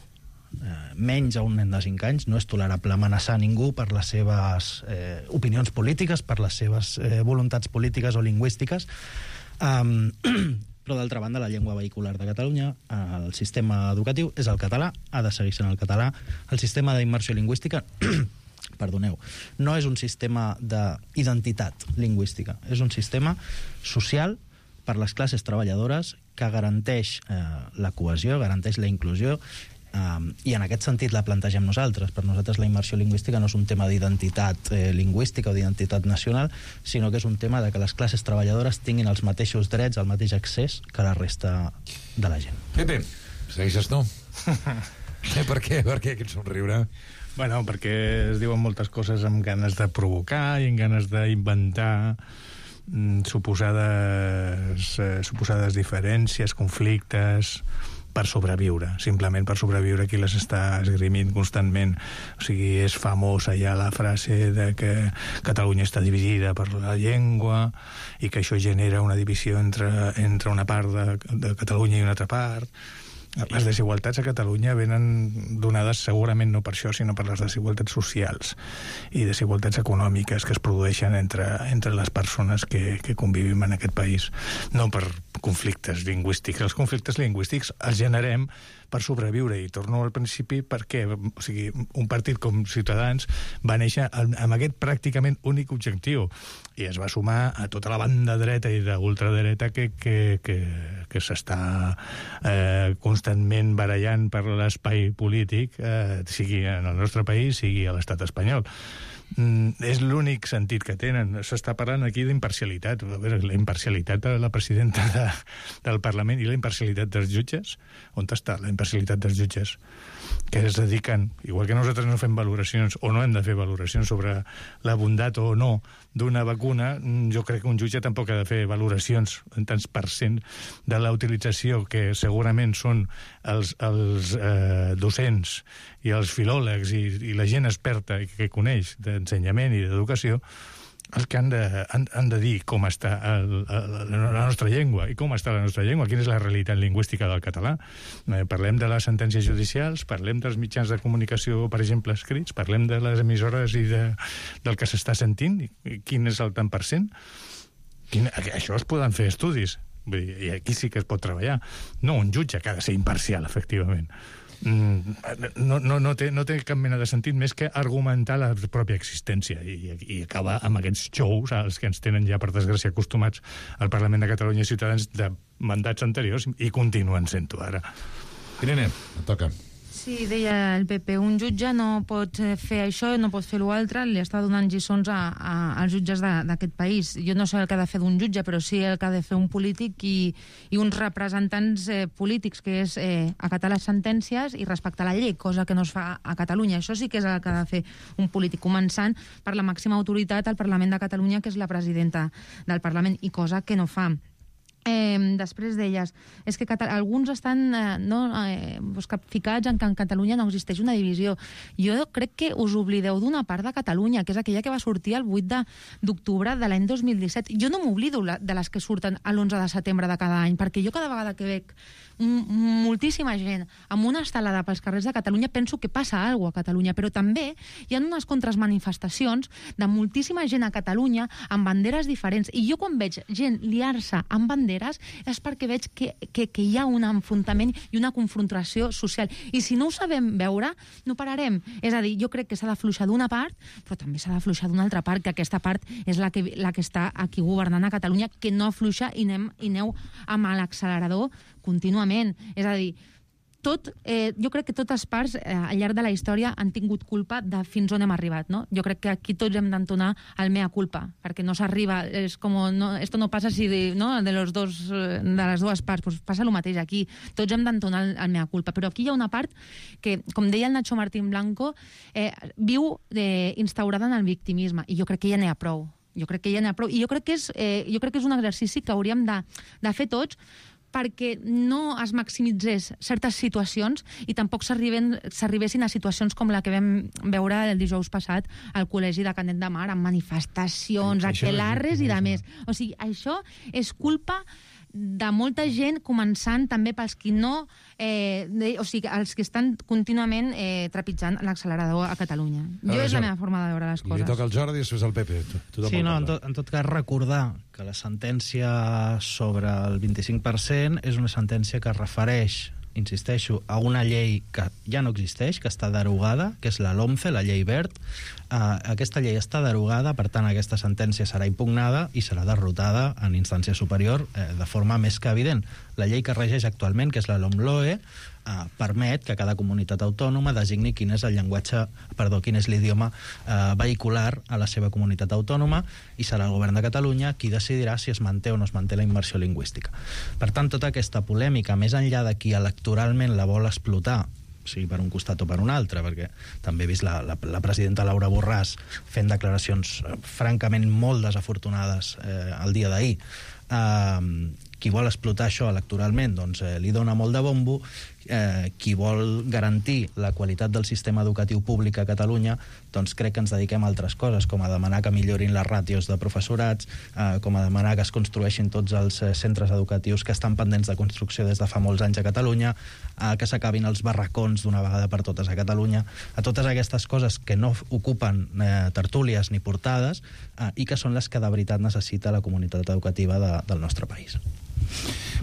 menys a un nen de 5 anys, no és tolerable amenaçar ningú per les seves opinions polítiques, per les seves voluntats polítiques o lingüístiques, però d'altra banda la llengua vehicular de Catalunya, el sistema educatiu és el català, ha de seguir sent el català. El sistema d'immersió lingüística perdoneu, no és un sistema d'identitat lingüística, és un sistema social per les classes treballadores que garanteix la cohesió, garanteix la inclusió, i en aquest sentit la plantegem nosaltres. Per nosaltres la immersió lingüística no és un tema d'identitat lingüística o d'identitat nacional, sinó que és un tema de que les classes treballadores tinguin els mateixos drets, el mateix accés que la resta de la gent. Pepe, segueixes tu? Per què aquest somriure? Bueno, perquè es diuen moltes coses amb ganes de provocar i amb ganes d'inventar suposades diferències, conflictes, per sobreviure, simplement per sobreviure, qui les està esgrimint constantment. O sigui, és famosa ja la frase de que Catalunya està dividida per la llengua i que això genera una divisió entre una part de Catalunya i una altra part. Les desigualtats a Catalunya venen donades segurament no per això, sinó per les desigualtats socials i desigualtats econòmiques que es produeixen entre les persones que convivim en aquest país, no per conflictes lingüístics. Els conflictes lingüístics els generem per sobreviure, i torno al principi perquè, o sigui, un partit com Ciutadans va néixer amb aquest pràcticament únic objectiu i es va sumar a tota la banda dreta i d'ultradreta que s'està constantment barallant per l'espai polític, sigui en el nostre país, sigui a l'estat espanyol. És l'únic sentit que tenen. S'està parlant aquí d'imparcialitat. A veure, la imparcialitat de la presidenta del Parlament i la imparcialitat dels jutges. On està la imparcialitat dels jutges? Que es dediquen, igual que nosaltres no fem valoracions o no hem de fer valoracions sobre la bondat o no d'una vacuna, jo crec que un jutge tampoc ha de fer valoracions en tants % de la utilització que segurament són els docents i els filòlegs i la gent experta que coneix d'ensenyament i d'educació, els que han de dir com està la nostra llengua i com està la nostra llengua, quina és la realitat lingüística del català. Parlem de les sentències judicials, parlem dels mitjans de comunicació, per exemple, escrits, parlem de les emissores i del que s'està sentint, quin és el tant per cent. Això es poden fer estudis, i aquí sí que es pot treballar. No un jutge que ha de ser imparcial, efectivament. No té cap mena de sentit més que argumentar la pròpia existència i acabar amb aquests xous als que ens tenen ja, per desgràcia, acostumats al Parlament de Catalunya i Ciutadans de mandats anteriors i continuen sent-ho ara. Irene, et toca. Sí, deia el PP, un jutge no pot fer això, no pot fer l'altre, li està donant lliçons als jutges d'aquest país. Jo no sé el que ha de fer d'un jutge, però sí el que ha de fer un polític i uns representants polítics, que és acatar les sentències i respectar la llei, cosa que no es fa a Catalunya. Això sí que és el que ha de fer un polític, començant per la màxima autoritat al Parlament de Catalunya, que és la presidenta del Parlament, i cosa que no fa. Després d'elles, és que alguns estan capficats en que en Catalunya no existeix una divisió. Jo crec que us oblideu d'una part de Catalunya, que és aquella que va sortir el 8 d'octubre de l'any 2017. Jo no m'oblido de les que surten l'11 de setembre de cada any, perquè jo cada vegada que veig moltíssima gent amb una estelada pels carrers de Catalunya penso que passa alguna cosa a Catalunya, però també hi ha unes contramanifestacions de moltíssima gent a Catalunya amb banderes diferents, i jo quan veig gent liar-se amb banderes és perquè veig que hi ha un enfrontament i una confrontació social, i si no ho sabem veure no pararem. És a dir, jo crec que s'ha d'afluixar d'una part, però també s'ha d'afluixar d'una altra part, que aquesta part és la que està aquí governant a Catalunya, que no afluixa i aneu amb l'accelerador contínuament. És a dir, jo crec que totes parts al llarg de la història han tingut culpa de fins on hem arribat, no? Jo crec que aquí tots hem d'entonar el mea culpa, perquè no s'arriba, és com, esto no passa si de les dues parts, pues passa el mateix aquí, tots hem d'entonar el mea culpa, però aquí hi ha una part que, com deia el Nacho Martín Blanco, viu instaurada en el victimisme, i jo crec que ja n'hi ha prou. I jo crec que és un exercici que hauríem de fer tots, perquè no es maximitzés certes situacions i tampoc s'arribessin a situacions com la que vam veure el dijous passat al Col·legi de Canet de Mar, amb manifestacions, aquelarres i de més. O sigui, això és culpa de molta gent, començant també pels qui no... els que estan contínuament trepitjant l'accelerador a Catalunya. És la meva forma de veure les coses. Li toca al Jordi i després al Pepe. Sí, no, en tot cas recordar que la sentència sobre el 25% és una sentència que es refereix, insisteixo, a una llei que ja no existeix, que està derogada, que és la LOMCE, la llei Wert. Aquesta llei està derogada, per tant aquesta sentència serà impugnada i serà derrotada en instància superior de forma més que evident. La llei que regeix actualment, que és la LOMLOE, permet que cada comunitat autònoma designi quin és l'idioma vehicular a la seva comunitat autònoma, i serà el govern de Catalunya qui decidirà si es manté o no es manté la immersió lingüística. Per tant, tota aquesta polèmica, més enllà de qui electoralment la vol explotar, sigui per un costat o per un altre, perquè també he vist la presidenta Laura Borràs fent declaracions francament molt desafortunades el dia d'ahir, qui vol explotar això electoralment doncs li dona molt de bombo, qui vol garantir la qualitat del sistema educatiu públic a Catalunya doncs crec que ens dediquem a altres coses, com a demanar que millorin les ràtios de professorats, com a demanar que es construeixin tots els centres educatius que estan pendents de construcció des de fa molts anys a Catalunya, que s'acabin els barracons d'una vegada per totes a Catalunya, a totes aquestes coses que no ocupen tertúlies ni portades i que són les que de veritat necessita la comunitat educativa del nostre país.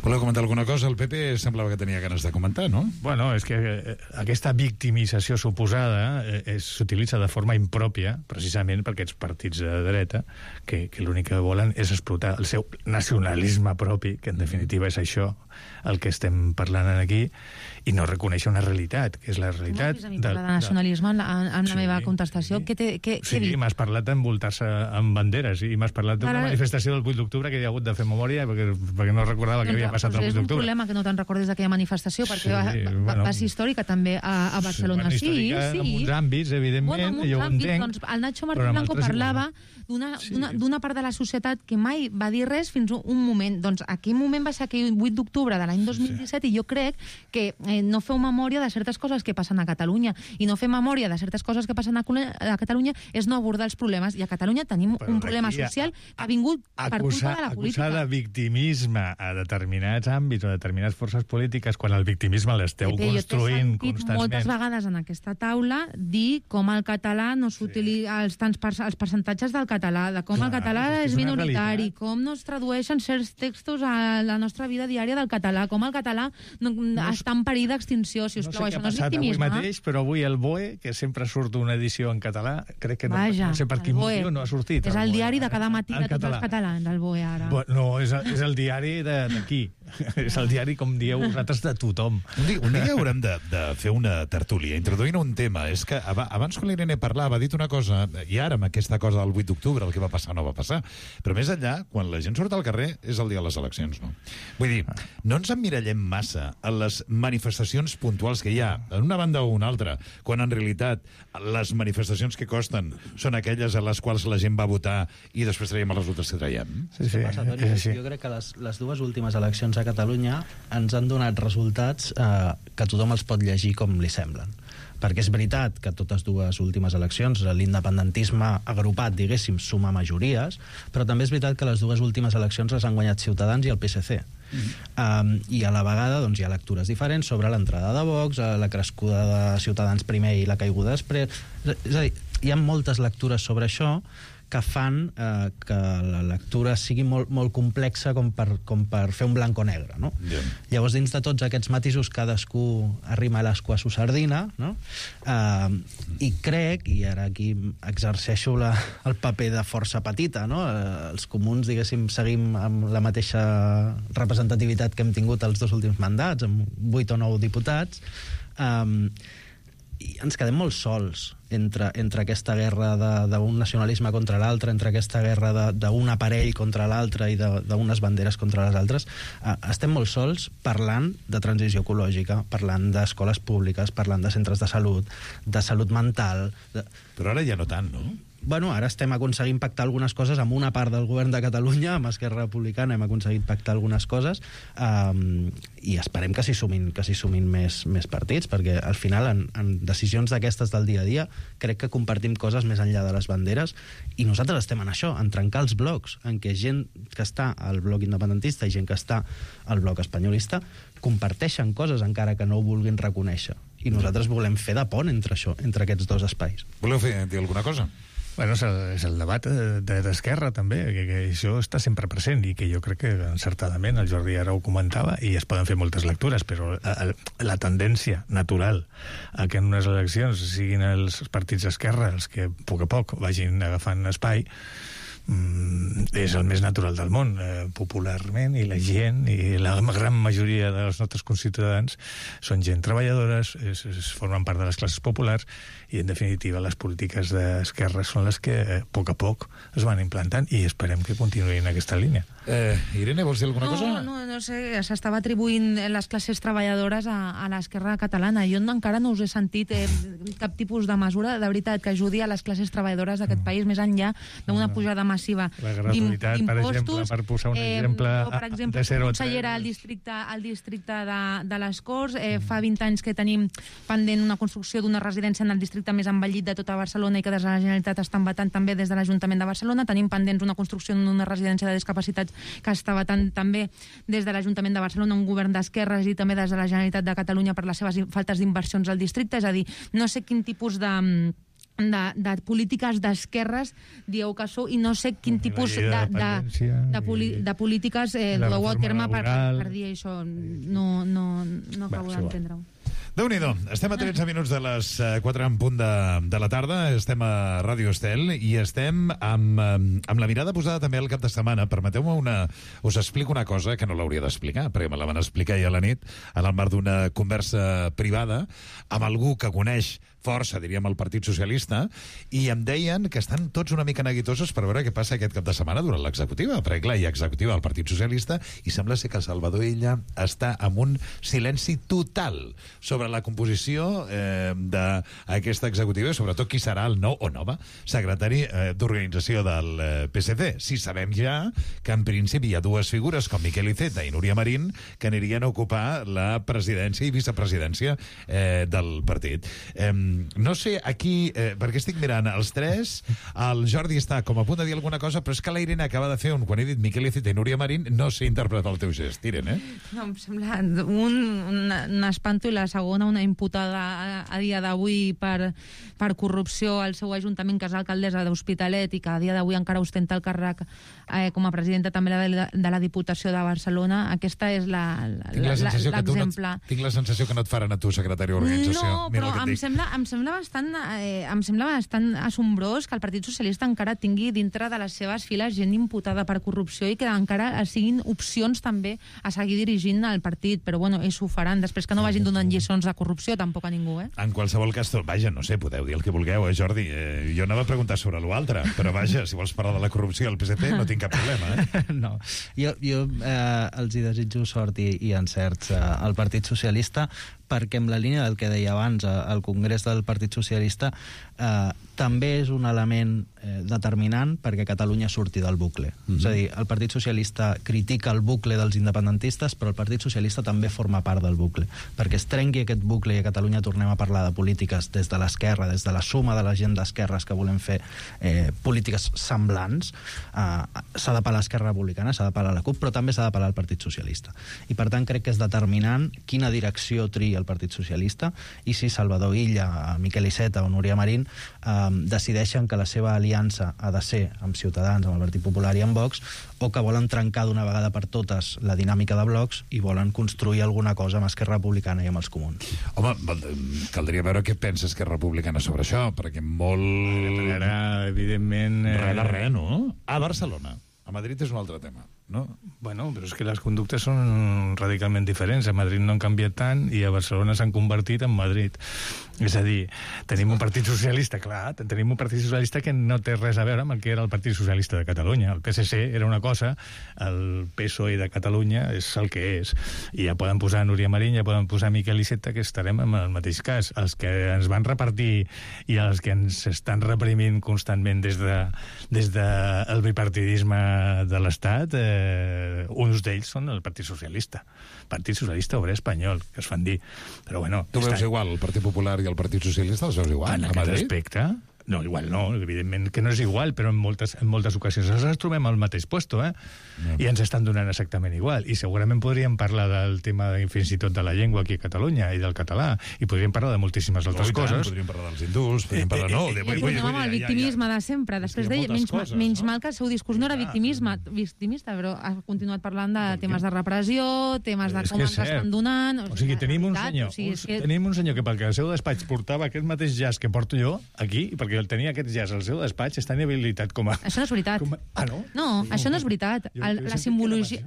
Voleu comentar alguna cosa? El PP semblava que tenia ganes de comentar, no? Bueno, és que aquesta victimització suposada s'utilitza de forma impròpia, precisament per aquests partits de dreta, que l'únic que volen és explotar el seu nacionalisme propi, que en definitiva és això el que estem parlant aquí, i no reconèixer una realitat, que és la realitat... No, de nacionalisme en la meva contestació. Sí, m'has parlat d'envoltar-se amb banderes i m'has parlat d'una manifestació del 8 d'octubre que hi ha hagut de fer memòria perquè no recordava que havia passat el 8 És un d'octubre. problema que no te'n recordes d'aquella manifestació, perquè bueno, va ser històrica també a Barcelona. bueno, històrica en uns àmbits, evidentment, jo ho entenc. Doncs el Nacho Martín però en Blanco altres parlava d'una part de la societat que mai va dir res fins un moment. Doncs aquell moment va ser aquell 8 d'octubre de l'any 2017 i jo crec que no feu memòria de certes coses que passen a Catalunya i no fer memòria de certes coses que passen a Catalunya és no abordar els problemes. I a Catalunya tenim un problema social que ha vingut per culpa de la política. Acusar de victimisme a determinats àmbits o a determinades forces polítiques quan el victimisme l'esteu construint constantment. Moltes vegades en aquesta taula dir com el català no s'utilitza, els percentatges del català, de com el català és minoritari, com no es tradueixen certs textos a la nostra vida diària del català, com el català està en perill d'extinció, si us plau, això no és victimisme. Avui mateix, però avui el BOE, que sempre surt una edició en català, crec que no sé per quin motiu no ha sortit. És el diari de cada matí de tots els catalans, el BOE, ara. No, és el diari d'aquí. És el diari, com dieu vosaltres, de tothom. Un dia haurem de fer una tertúlia introduint un tema. És que abans quan l'Irene parlava ha dit una cosa, i ara amb aquesta cosa del 8 d'octubre el que va passar no va passar, però més enllà, quan la gent surt al carrer és el dia de les eleccions, no? Vull dir, no ens emmirallem massa en les manifestacions puntuals que hi ha, en una banda o una altra, quan en realitat les manifestacions que costen són aquelles a les quals la gent va votar i després traiem els resultats que traiem. Jo crec que les dues últimes eleccions a Catalunya ens han donat resultats que tothom els pot llegir com li semblen. Perquè és veritat que totes dues últimes eleccions l'independentisme agrupat, diguéssim, suma majories, però també és veritat que les dues últimes eleccions les han guanyat Ciutadans i el PSC. I a la vegada doncs, hi ha lectures diferents sobre l'entrada de Vox, la crescuda de Ciutadans primer i la caiguda després. És a dir, hi ha moltes lectures sobre això que fan que la lectura sigui molt, molt complexa com per fer un blanc o negre, no? Yeah. Llavors, dins de tots aquests matisos, cadascú arrima a l'escua a su sardina, no? I crec, i ara aquí exerceixo el paper de força petita, no? Els comuns, diguéssim, seguim amb la mateixa representativitat que hem tingut els dos últims mandats, amb 8 o 9 diputats, i ens quedem molt sols entre aquesta guerra d'un nacionalisme contra l'altre, entre aquesta guerra d'un aparell contra l'altre i d'unes banderes contra les altres. Estem molt sols parlant de transició ecològica, parlant d'escoles públiques, parlant de centres de salut mental... Però ara ja no tant, no? Bueno, ara estem aconseguint pactar algunes coses amb una part del govern de Catalunya, amb Esquerra Republicana hem aconseguit pactar algunes coses, i esperem que s'hi sumin més partits, perquè al final en decisions d'aquestes del dia a dia crec que compartim coses més enllà de les banderes, i nosaltres estem en això, en trencar els blocs, en què gent que està al bloc independentista i gent que està al bloc espanyolista comparteixen coses encara que no ho vulguin reconèixer, i nosaltres volem fer de pont entre això, entre aquests dos espais. Voleu dir alguna cosa? Bueno, és el debat d'Esquerra també, que això està sempre present i que jo crec que encertadament el Jordi ara ho comentava i es poden fer moltes lectures, però la tendència natural a que en unes eleccions siguin els partits d'esquerra els que a poc vagin agafant espai és el més natural del món, popularment, i la gent i la gran majoria dels nostres conciutadans són gent treballadores, formen part de les classes populars, i en definitiva les polítiques d'esquerra són les que a poc es van implantant i esperem que continuïn aquesta línia. Irene, vols dir alguna cosa? No sé, s'estava atribuint les classes treballadores a l'esquerra catalana. Jo encara no us he sentit cap tipus de mesura, de veritat, que ajudi a les classes treballadores d'aquest país, més enllà d'una pujada massiva d'impostos. Per exemple, per posar un exemple, per exemple, consellera al districte de les Corts, fa 20 anys que tenim pendent una construcció d'una residència en el districte més envellit de tota Barcelona i que des de la Generalitat estan vetant també des de l'Ajuntament de Barcelona. Tenim pendents una construcció d'una residència de discapacitats que està vetant també des de l'Ajuntament de Barcelona, un govern d'esquerres, i també des de la Generalitat de Catalunya per les seves faltes d'inversions al districte. És a dir, no sé quin tipus de polítiques d'esquerres dieu que sou, i no sé quin tipus de polítiques dueu a terme per dir això. No acabo d'entendre-ho. Déu-n'hi-do, estem a 13 minuts de les 4 en punt de la tarda, estem a Ràdio Estel i estem amb la mirada posada també al cap de setmana. Permeteu-me us explico una cosa que no l'hauria d'explicar, perquè me la van explicar ahir a la nit en el marc d'una conversa privada amb algú que coneix força, diríem, el Partit Socialista, i em deien que estan tots una mica neguitosos per veure què passa aquest cap de setmana durant l'executiva, perquè clar, hi ha executiva del Partit Socialista i sembla ser que Salvador Illa està amb un silenci total sobre la composició d'aquesta executiva i sobretot qui serà el nou o nova secretari d'organització del PSC. Sí, sabem ja que en principi hi ha dues figures com Miquel Iceta i Núria Marín que anirien a ocupar la presidència i vicepresidència del partit. No sé, aquí, perquè estic mirant els tres, el Jordi està com a punt de dir alguna cosa, però és que la Irene acaba de fer quan he dit Miquel Iceta i Núria Marín, no sé interpretar el teu gest, Irene. No, em sembla un espanto i la segona una imputada a dia d'avui per corrupció al seu ajuntament, que és alcaldessa d'Hospitalet i que a dia d'avui encara ostenta el càrrec com a presidenta també de la Diputació de Barcelona. Aquesta és l'exemple. Tinc la sensació que no et faran a tu secretari d'organització. No, però em sembla bastant assombrós que el Partit Socialista encara tingui dintre de les seves files gent imputada per corrupció i que encara siguin opcions també a seguir dirigint el partit, però bueno, ells ho faran, després que no vagin donant lliçons de corrupció tampoc a ningú, En qualsevol cas, vaja, no sé, podeu dir el que vulgueu, Jordi? Jo anava a preguntar sobre l'altre, però vaja, si vols parlar de la corrupció al PSC no tinc cap problema, No, jo els hi desitjo sort i encerts al Partit Socialista, perquè en la línia del que deia abans, el Congrés del Partit Socialista també és un element determinant perquè Catalunya surti del bucle. És a dir, el Partit Socialista critica el bucle dels independentistes, però el Partit Socialista també forma part del bucle. Perquè es trenqui aquest bucle i a Catalunya tornem a parlar de polítiques des de l'esquerra, des de la suma de la gent d'esquerres que volem fer polítiques semblants, s'ha de parlar l'Esquerra Republicana, s'ha de parlar la CUP, però també s'ha de parlar el Partit Socialista. I per tant crec que és determinant quina direcció tria el Partit Socialista i si Salvador Illa, Miquel Iceta o Núria Marín decideixen que la seva aliança ha de ser amb Ciutadans, amb el Partit Popular i amb Vox, o que volen trencar d'una vegada per totes la dinàmica de blocs i volen construir alguna cosa amb Esquerra Republicana i amb els comuns. Home, caldria veure què pensa Esquerra Republicana sobre això, perquè molt... Evidentment... Res, no? A Barcelona. A Madrid és un altre tema, no? Bueno, però és que les conductes són radicalment diferents. A Madrid no han canviat tant i a Barcelona s'han convertit en Madrid. És a dir, tenim un Partit Socialista, clar, tenim un Partit Socialista que no té res a veure amb el que era el Partit Socialista de Catalunya. El PSC era una cosa, el PSOE de Catalunya és el que és. I ja poden posar Núria Marín, ja poden posar Miquel Iceta, que estarem en el mateix cas. Els que ens van repartir i els que ens estan reprimint constantment des del bipartidisme de l'Estat, uns d'ells són el Partit Socialista Obrer Espanyol, que es fan dir. Però bueno... Tu veus igual el Partit Popular i el Partit Socialista, els veus igual? En aquest aspecte... No, igual no, evidentment que no és igual, però en moltes ocasions ens trobem al mateix puesto, i ens estan donant exactament igual. I segurament podríem parlar del tema fins i tot de la llengua aquí a Catalunya i del català, i podríem parlar de moltíssimes altres coses. Podríem parlar dels hindús, podríem parlar... Amb el victimisme de sempre. Després d'ell, menys mal que el seu discurs no era victimista, però ha continuat parlant de temes de repressió, temes de com ens estan donant... O sigui, tenim un senyor que pel que el seu despatx portava aquest mateix jazz que porto jo aquí, perquè el tenia aquest jazz al seu despatx, està inhabilitat com a... Això no és veritat. Ah, no? No, això no és veritat. La simbologia...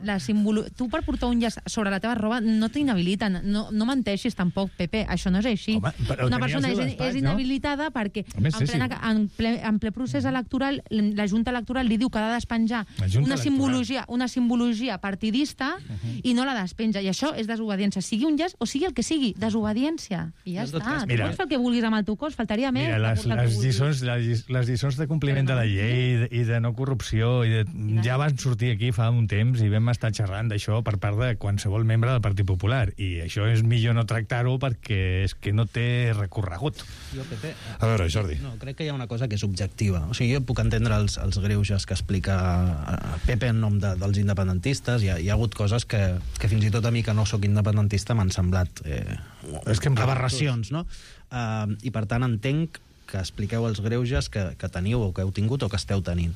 Tu per portar un jazz sobre la teva roba no t'inhabiliten. No menteixis tampoc, Pepe. Això no és així. Una persona és inhabilitada perquè en ple procés electoral la Junta Electoral li diu que ha de despenjar una simbologia partidista i no la despenja. I això és desobediència. Sigui un jazz o sigui el que sigui. Desobediència. I ja està. Tu pots fer el que vulguis amb el teu cos. Faltaria més. Les lliçons de compliment de la llei i de no corrupció ja van sortir aquí fa un temps i vam estar xerrant d'això per part de qualsevol membre del Partit Popular, i això és millor no tractar-ho perquè és que no té recorregut. A veure, Jordi. No, crec que hi ha una cosa que és objectiva. O sigui, jo puc entendre els greuges que explica Pepe en nom dels independentistes. Hi ha hagut coses que fins i tot a mi, que no sóc independentista, m'han semblat aberracions, no? I per tant entenc que expliqueu els greuges que teniu o que heu tingut o que esteu tenint.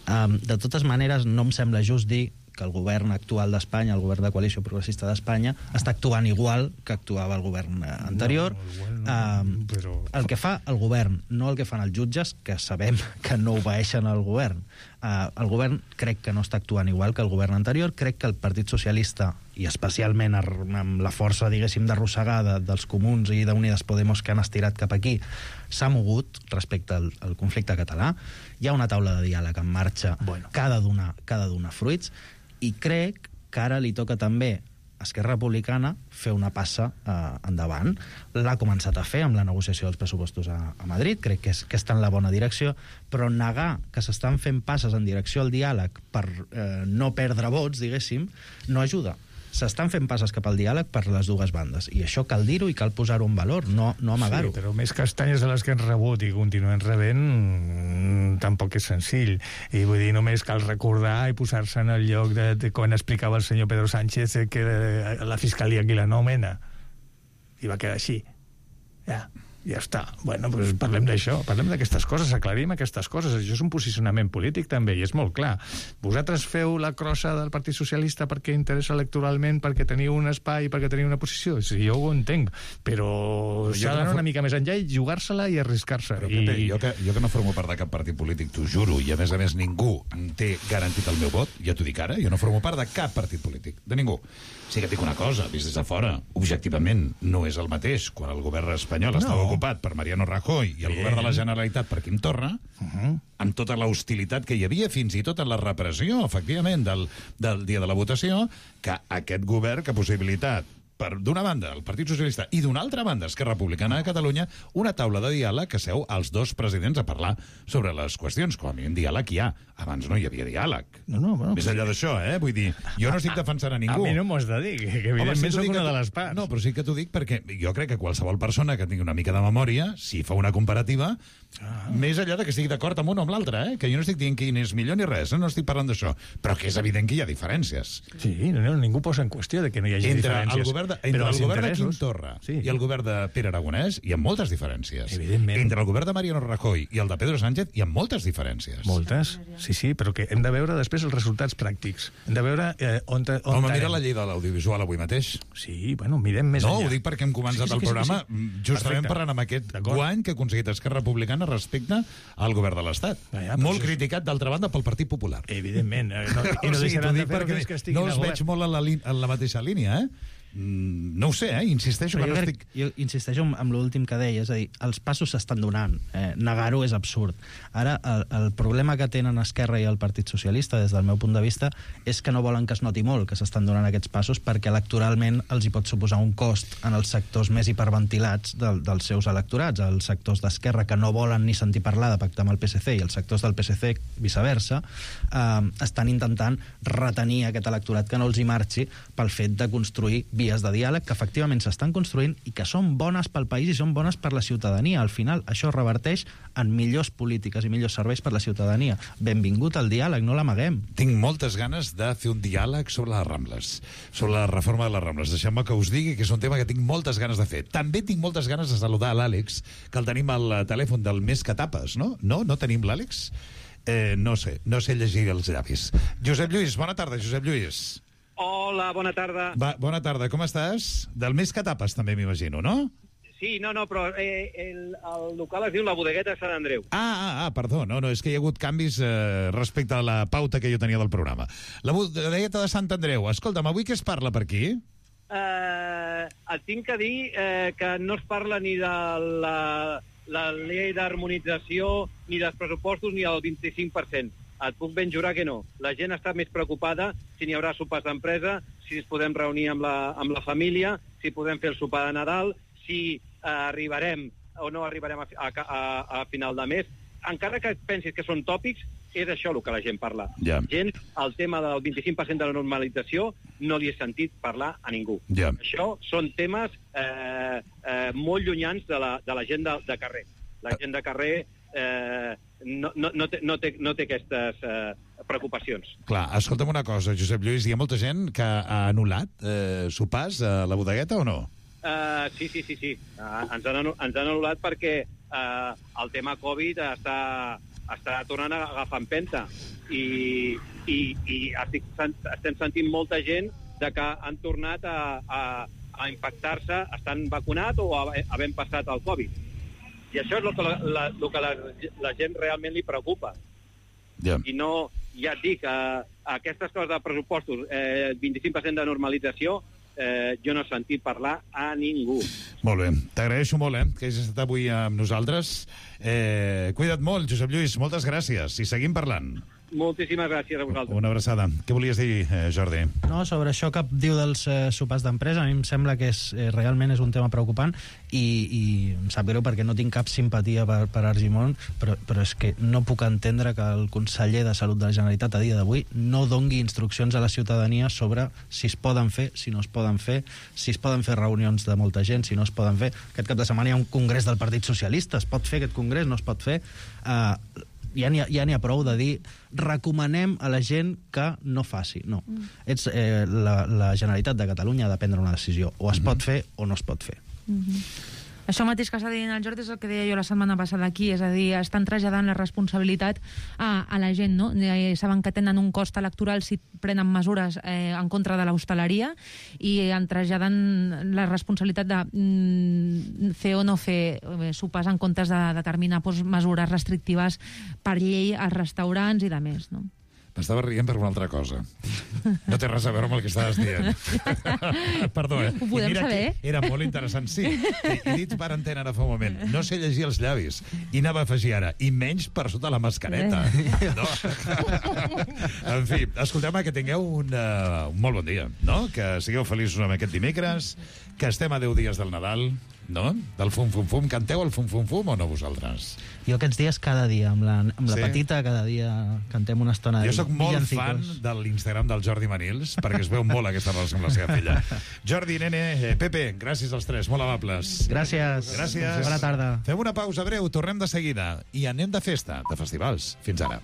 De totes maneres, no em sembla just dir que el govern actual d'Espanya, el govern de coalició progressista d'Espanya, està actuant igual que actuava el govern anterior. El que fa el govern, no el que fan els jutges, que sabem que no obeeixen al govern. El govern crec que no està actuant igual que el govern anterior, crec que el Partit Socialista, i especialment amb la força, diguéssim, d'arrossegada dels comuns i d'Unides Podemos que han estirat cap aquí, s'ha mogut respecte al conflicte català. Hi ha una taula de diàleg en marxa que ha de donar fruits, i crec que ara li toca també a Esquerra Republicana fer una passa endavant. L'ha començat a fer amb la negociació dels pressupostos a Madrid, crec que està en la bona direcció, però negar que s'estan fent passes en direcció al diàleg per no perdre vots, diguéssim, no ajuda. S'estan fent passes cap al diàleg per les dues bandes, i això cal dir-ho i cal posar-ho en valor, no amagar-ho. Sí, però més castanyes de les que hem rebut i continuem rebent tampoc és senzill, i vull dir, només cal recordar i posar-se en el lloc de quan explicava el senyor Pedro Sánchez que la fiscalia aquí la nomena, i va quedar així. Ja està. Bueno, doncs parlem d'això, parlem d'aquestes coses, aclarim aquestes coses. Això és un posicionament polític, també, i és molt clar. Vosaltres feu la crossa del Partit Socialista perquè interessa electoralment, perquè teniu un espai, perquè teniu una posició. Sí, jo ho entenc, però s'ha d'anar una mica més enllà i jugar-se-la i arriscar-se. Però, Pepe, jo que no formo part de cap partit polític, t'ho juro, i a més ningú té garantit el meu vot, ja t'ho dic ara, jo no formo part de cap partit polític, de ningú. Sí que et dic una cosa, vist des de fora, objectivament no és el mateix quan el govern espanyol estava ocupat per Mariano Rajoy i el govern de la Generalitat per Quim Torra, amb tota l'hostilitat que hi havia, fins i tot en la repressió, efectivament, del dia de la votació, que aquest govern, que possibilitat d'una banda el Partit Socialista i d'una altra banda Esquerra Republicana de Catalunya, una taula de diàleg que seu els dos presidents a parlar sobre les qüestions. Com a mínim diàleg hi ha. Abans no hi havia diàleg. Més enllà d'això, vull dir, jo no estic defensant a ningú. A mi no m'ho has de dir, que evidentment soc una de les parts. No, però sí que t'ho dic perquè jo crec que qualsevol persona que tingui una mica de memòria, si fa una comparativa, més enllà de que estigui d'acord amb un o amb l'altre, que jo no estic dient quin és millor ni res, no estic parlant d'això, però que és evident que hi ha diferències. Sí, ningú posa en qüestió de que no hi hagi diferències. Entre el govern de Quim Torra i el govern de Pere Aragonès hi ha moltes diferències. Evidentment. Entre el govern de Mariano Rajoy i el de Pedro Sánchez hi ha moltes diferències. Moltes, sí, però que hem de veure després els resultats pràctics. Hem de veure on Home, mira la llei de l'audiovisual avui mateix. Sí, bueno, mirem més enllà. No, ho dic perquè hem començat el programa justament parlant amb aquest guany que ha aconseguit Esquerra Republicana respecte al govern de l'Estat. Molt criticat, d'altra banda, pel Partit Popular. Evidentment. I no deixaran de fer-ho fins que estiguin no els veig molt en la mateixa línia, no ho sé, insisteixo que no estic... Jo insisteixo amb l'últim que deia, és a dir, els passos s'estan donant, negar-ho és absurd. Ara, el problema que tenen Esquerra i el Partit Socialista, des del meu punt de vista, és que no volen que es noti molt que s'estan donant aquests passos, perquè electoralment els hi pot suposar un cost en els sectors més hiperventilats dels seus electorats, els sectors d'Esquerra que no volen ni sentir parlar de pactar amb el PSC i els sectors del PSC, viceversa, estan intentant retenir aquest electorat que no els hi marxi pel fet de construir vies de diàleg que efectivament s'estan construint i que són bones pel país i són bones per la ciutadania. Al final, això reverteix en millors polítiques i millors serveis per la ciutadania. Benvingut al diàleg, no l'amaguem. Tinc moltes ganes de fer un diàleg sobre les Rambles, sobre la reforma de les Rambles. Deixeu-me que us digui que és un tema que tinc moltes ganes de fer. També tinc moltes ganes de saludar l'Àlex, que el tenim al telèfon del Més que Tapes, no? No tenim l'Àlex? No sé llegir els llavis. Josep Lluís, bona tarda, Josep Lluís. Hola, bona tarda. Bona tarda, com estàs? Del Més que Tapes, també m'imagino, no? Sí, però el local es diu La Bodegueta de Sant Andreu. Perdó, no, és que hi ha hagut canvis respecte a la pauta que jo tenia del programa. La Bodegueta de Sant Andreu. Escolta'm, avui què es parla per aquí? Et tinc que dir que no es parla ni de la llei d'harmonització, ni dels pressupostos, ni del 25%. Et puc ben jurar que no. La gent està més preocupada si n'hi haurà sopars d'empresa, si ens podem reunir amb la família, si podem fer el sopar de Nadal, si arribarem o no arribarem a final de mes. Encara que pensis que són tòpics, és això el que la gent parla. Gent, el tema del 25% de la normalització no li he sentit parlar a ningú. Això són temes molt llunyans de la gent de carrer. La gent de carrer no té aquestes preocupacions. Clar, escolta'm una cosa, Josep Lluís, hi ha molta gent que ha anul·lat sopars a la bodegueta o no? Sí. Ens han anul·lat perquè el tema Covid està tornant a agafar empenta i estem sentint molta gent de que han tornat a infectar-se, estan vacunats o havent passat el Covid. I això és el que la gent realment li preocupa. I no, ja et dic, aquestes coses de pressupostos, 25% de normalització, jo no he sentit parlar a ningú. Molt bé, t'agraeixo molt, que hagis estat avui amb nosaltres. Cuida't molt, Josep Lluís, moltes gràcies, i seguim parlant. Moltíssimes gràcies a vosaltres. Una abraçada. Què volies dir, Jordi? No, sobre això que diu dels sopars d'empresa, a mi em sembla que realment és un tema preocupant i em sap greu perquè no tinc cap simpatia per Argimon, però és que no puc entendre que el conseller de Salut de la Generalitat a dia d'avui no dongui instruccions a la ciutadania sobre si es poden fer, si no es poden fer, si es poden fer reunions de molta gent, si no es poden fer. Aquest cap de setmana hi ha un congrés del Partit Socialista. Es pot fer aquest congrés? No es pot fer? Ja n'hi ha prou de dir recomanem a la gent que no faci. No. La Generalitat de Catalunya ha de prendre una decisió. O es pot fer o no es pot fer. Això mateix que està dient el Jordi és el que deia jo la setmana passada aquí, és a dir, estan traslladant la responsabilitat a la gent, no? Saben que tenen un cost electoral si prenen mesures en contra de l'hostaleria i en traslladant la responsabilitat de fer o no fer sopars en comptes de determinar mesures restrictives per llei als restaurants i de més, no? M'estava rient per una altra cosa. No té res a veure amb el que estaves dient. Perdó, Ho podem saber? Era molt interessant, sí. He dit per antena ara fa un moment. No sé llegir els llavis. I anava a afegir ara. I menys per sota la mascareta. No? En fi, escolteu-me, que tingueu un molt bon dia, no? Que sigueu feliços amb aquest dimecres, que estem a 10 dies del Nadal, no? Del fum-fum-fum. Canteu el fum-fum-fum o no vosaltres? Jo aquests dies cada dia, amb la petita, cada dia cantem una estona. Jo sóc molt fan de l'Instagram del Jordi Manils, perquè es veu molt aquesta relació amb la seva filla. Jordi, nene, Pepe, gràcies als tres, molt amables. Gràcies. Bona tarda. Fem una pausa breu, tornem de seguida i anem de festa, de festivals. Fins ara.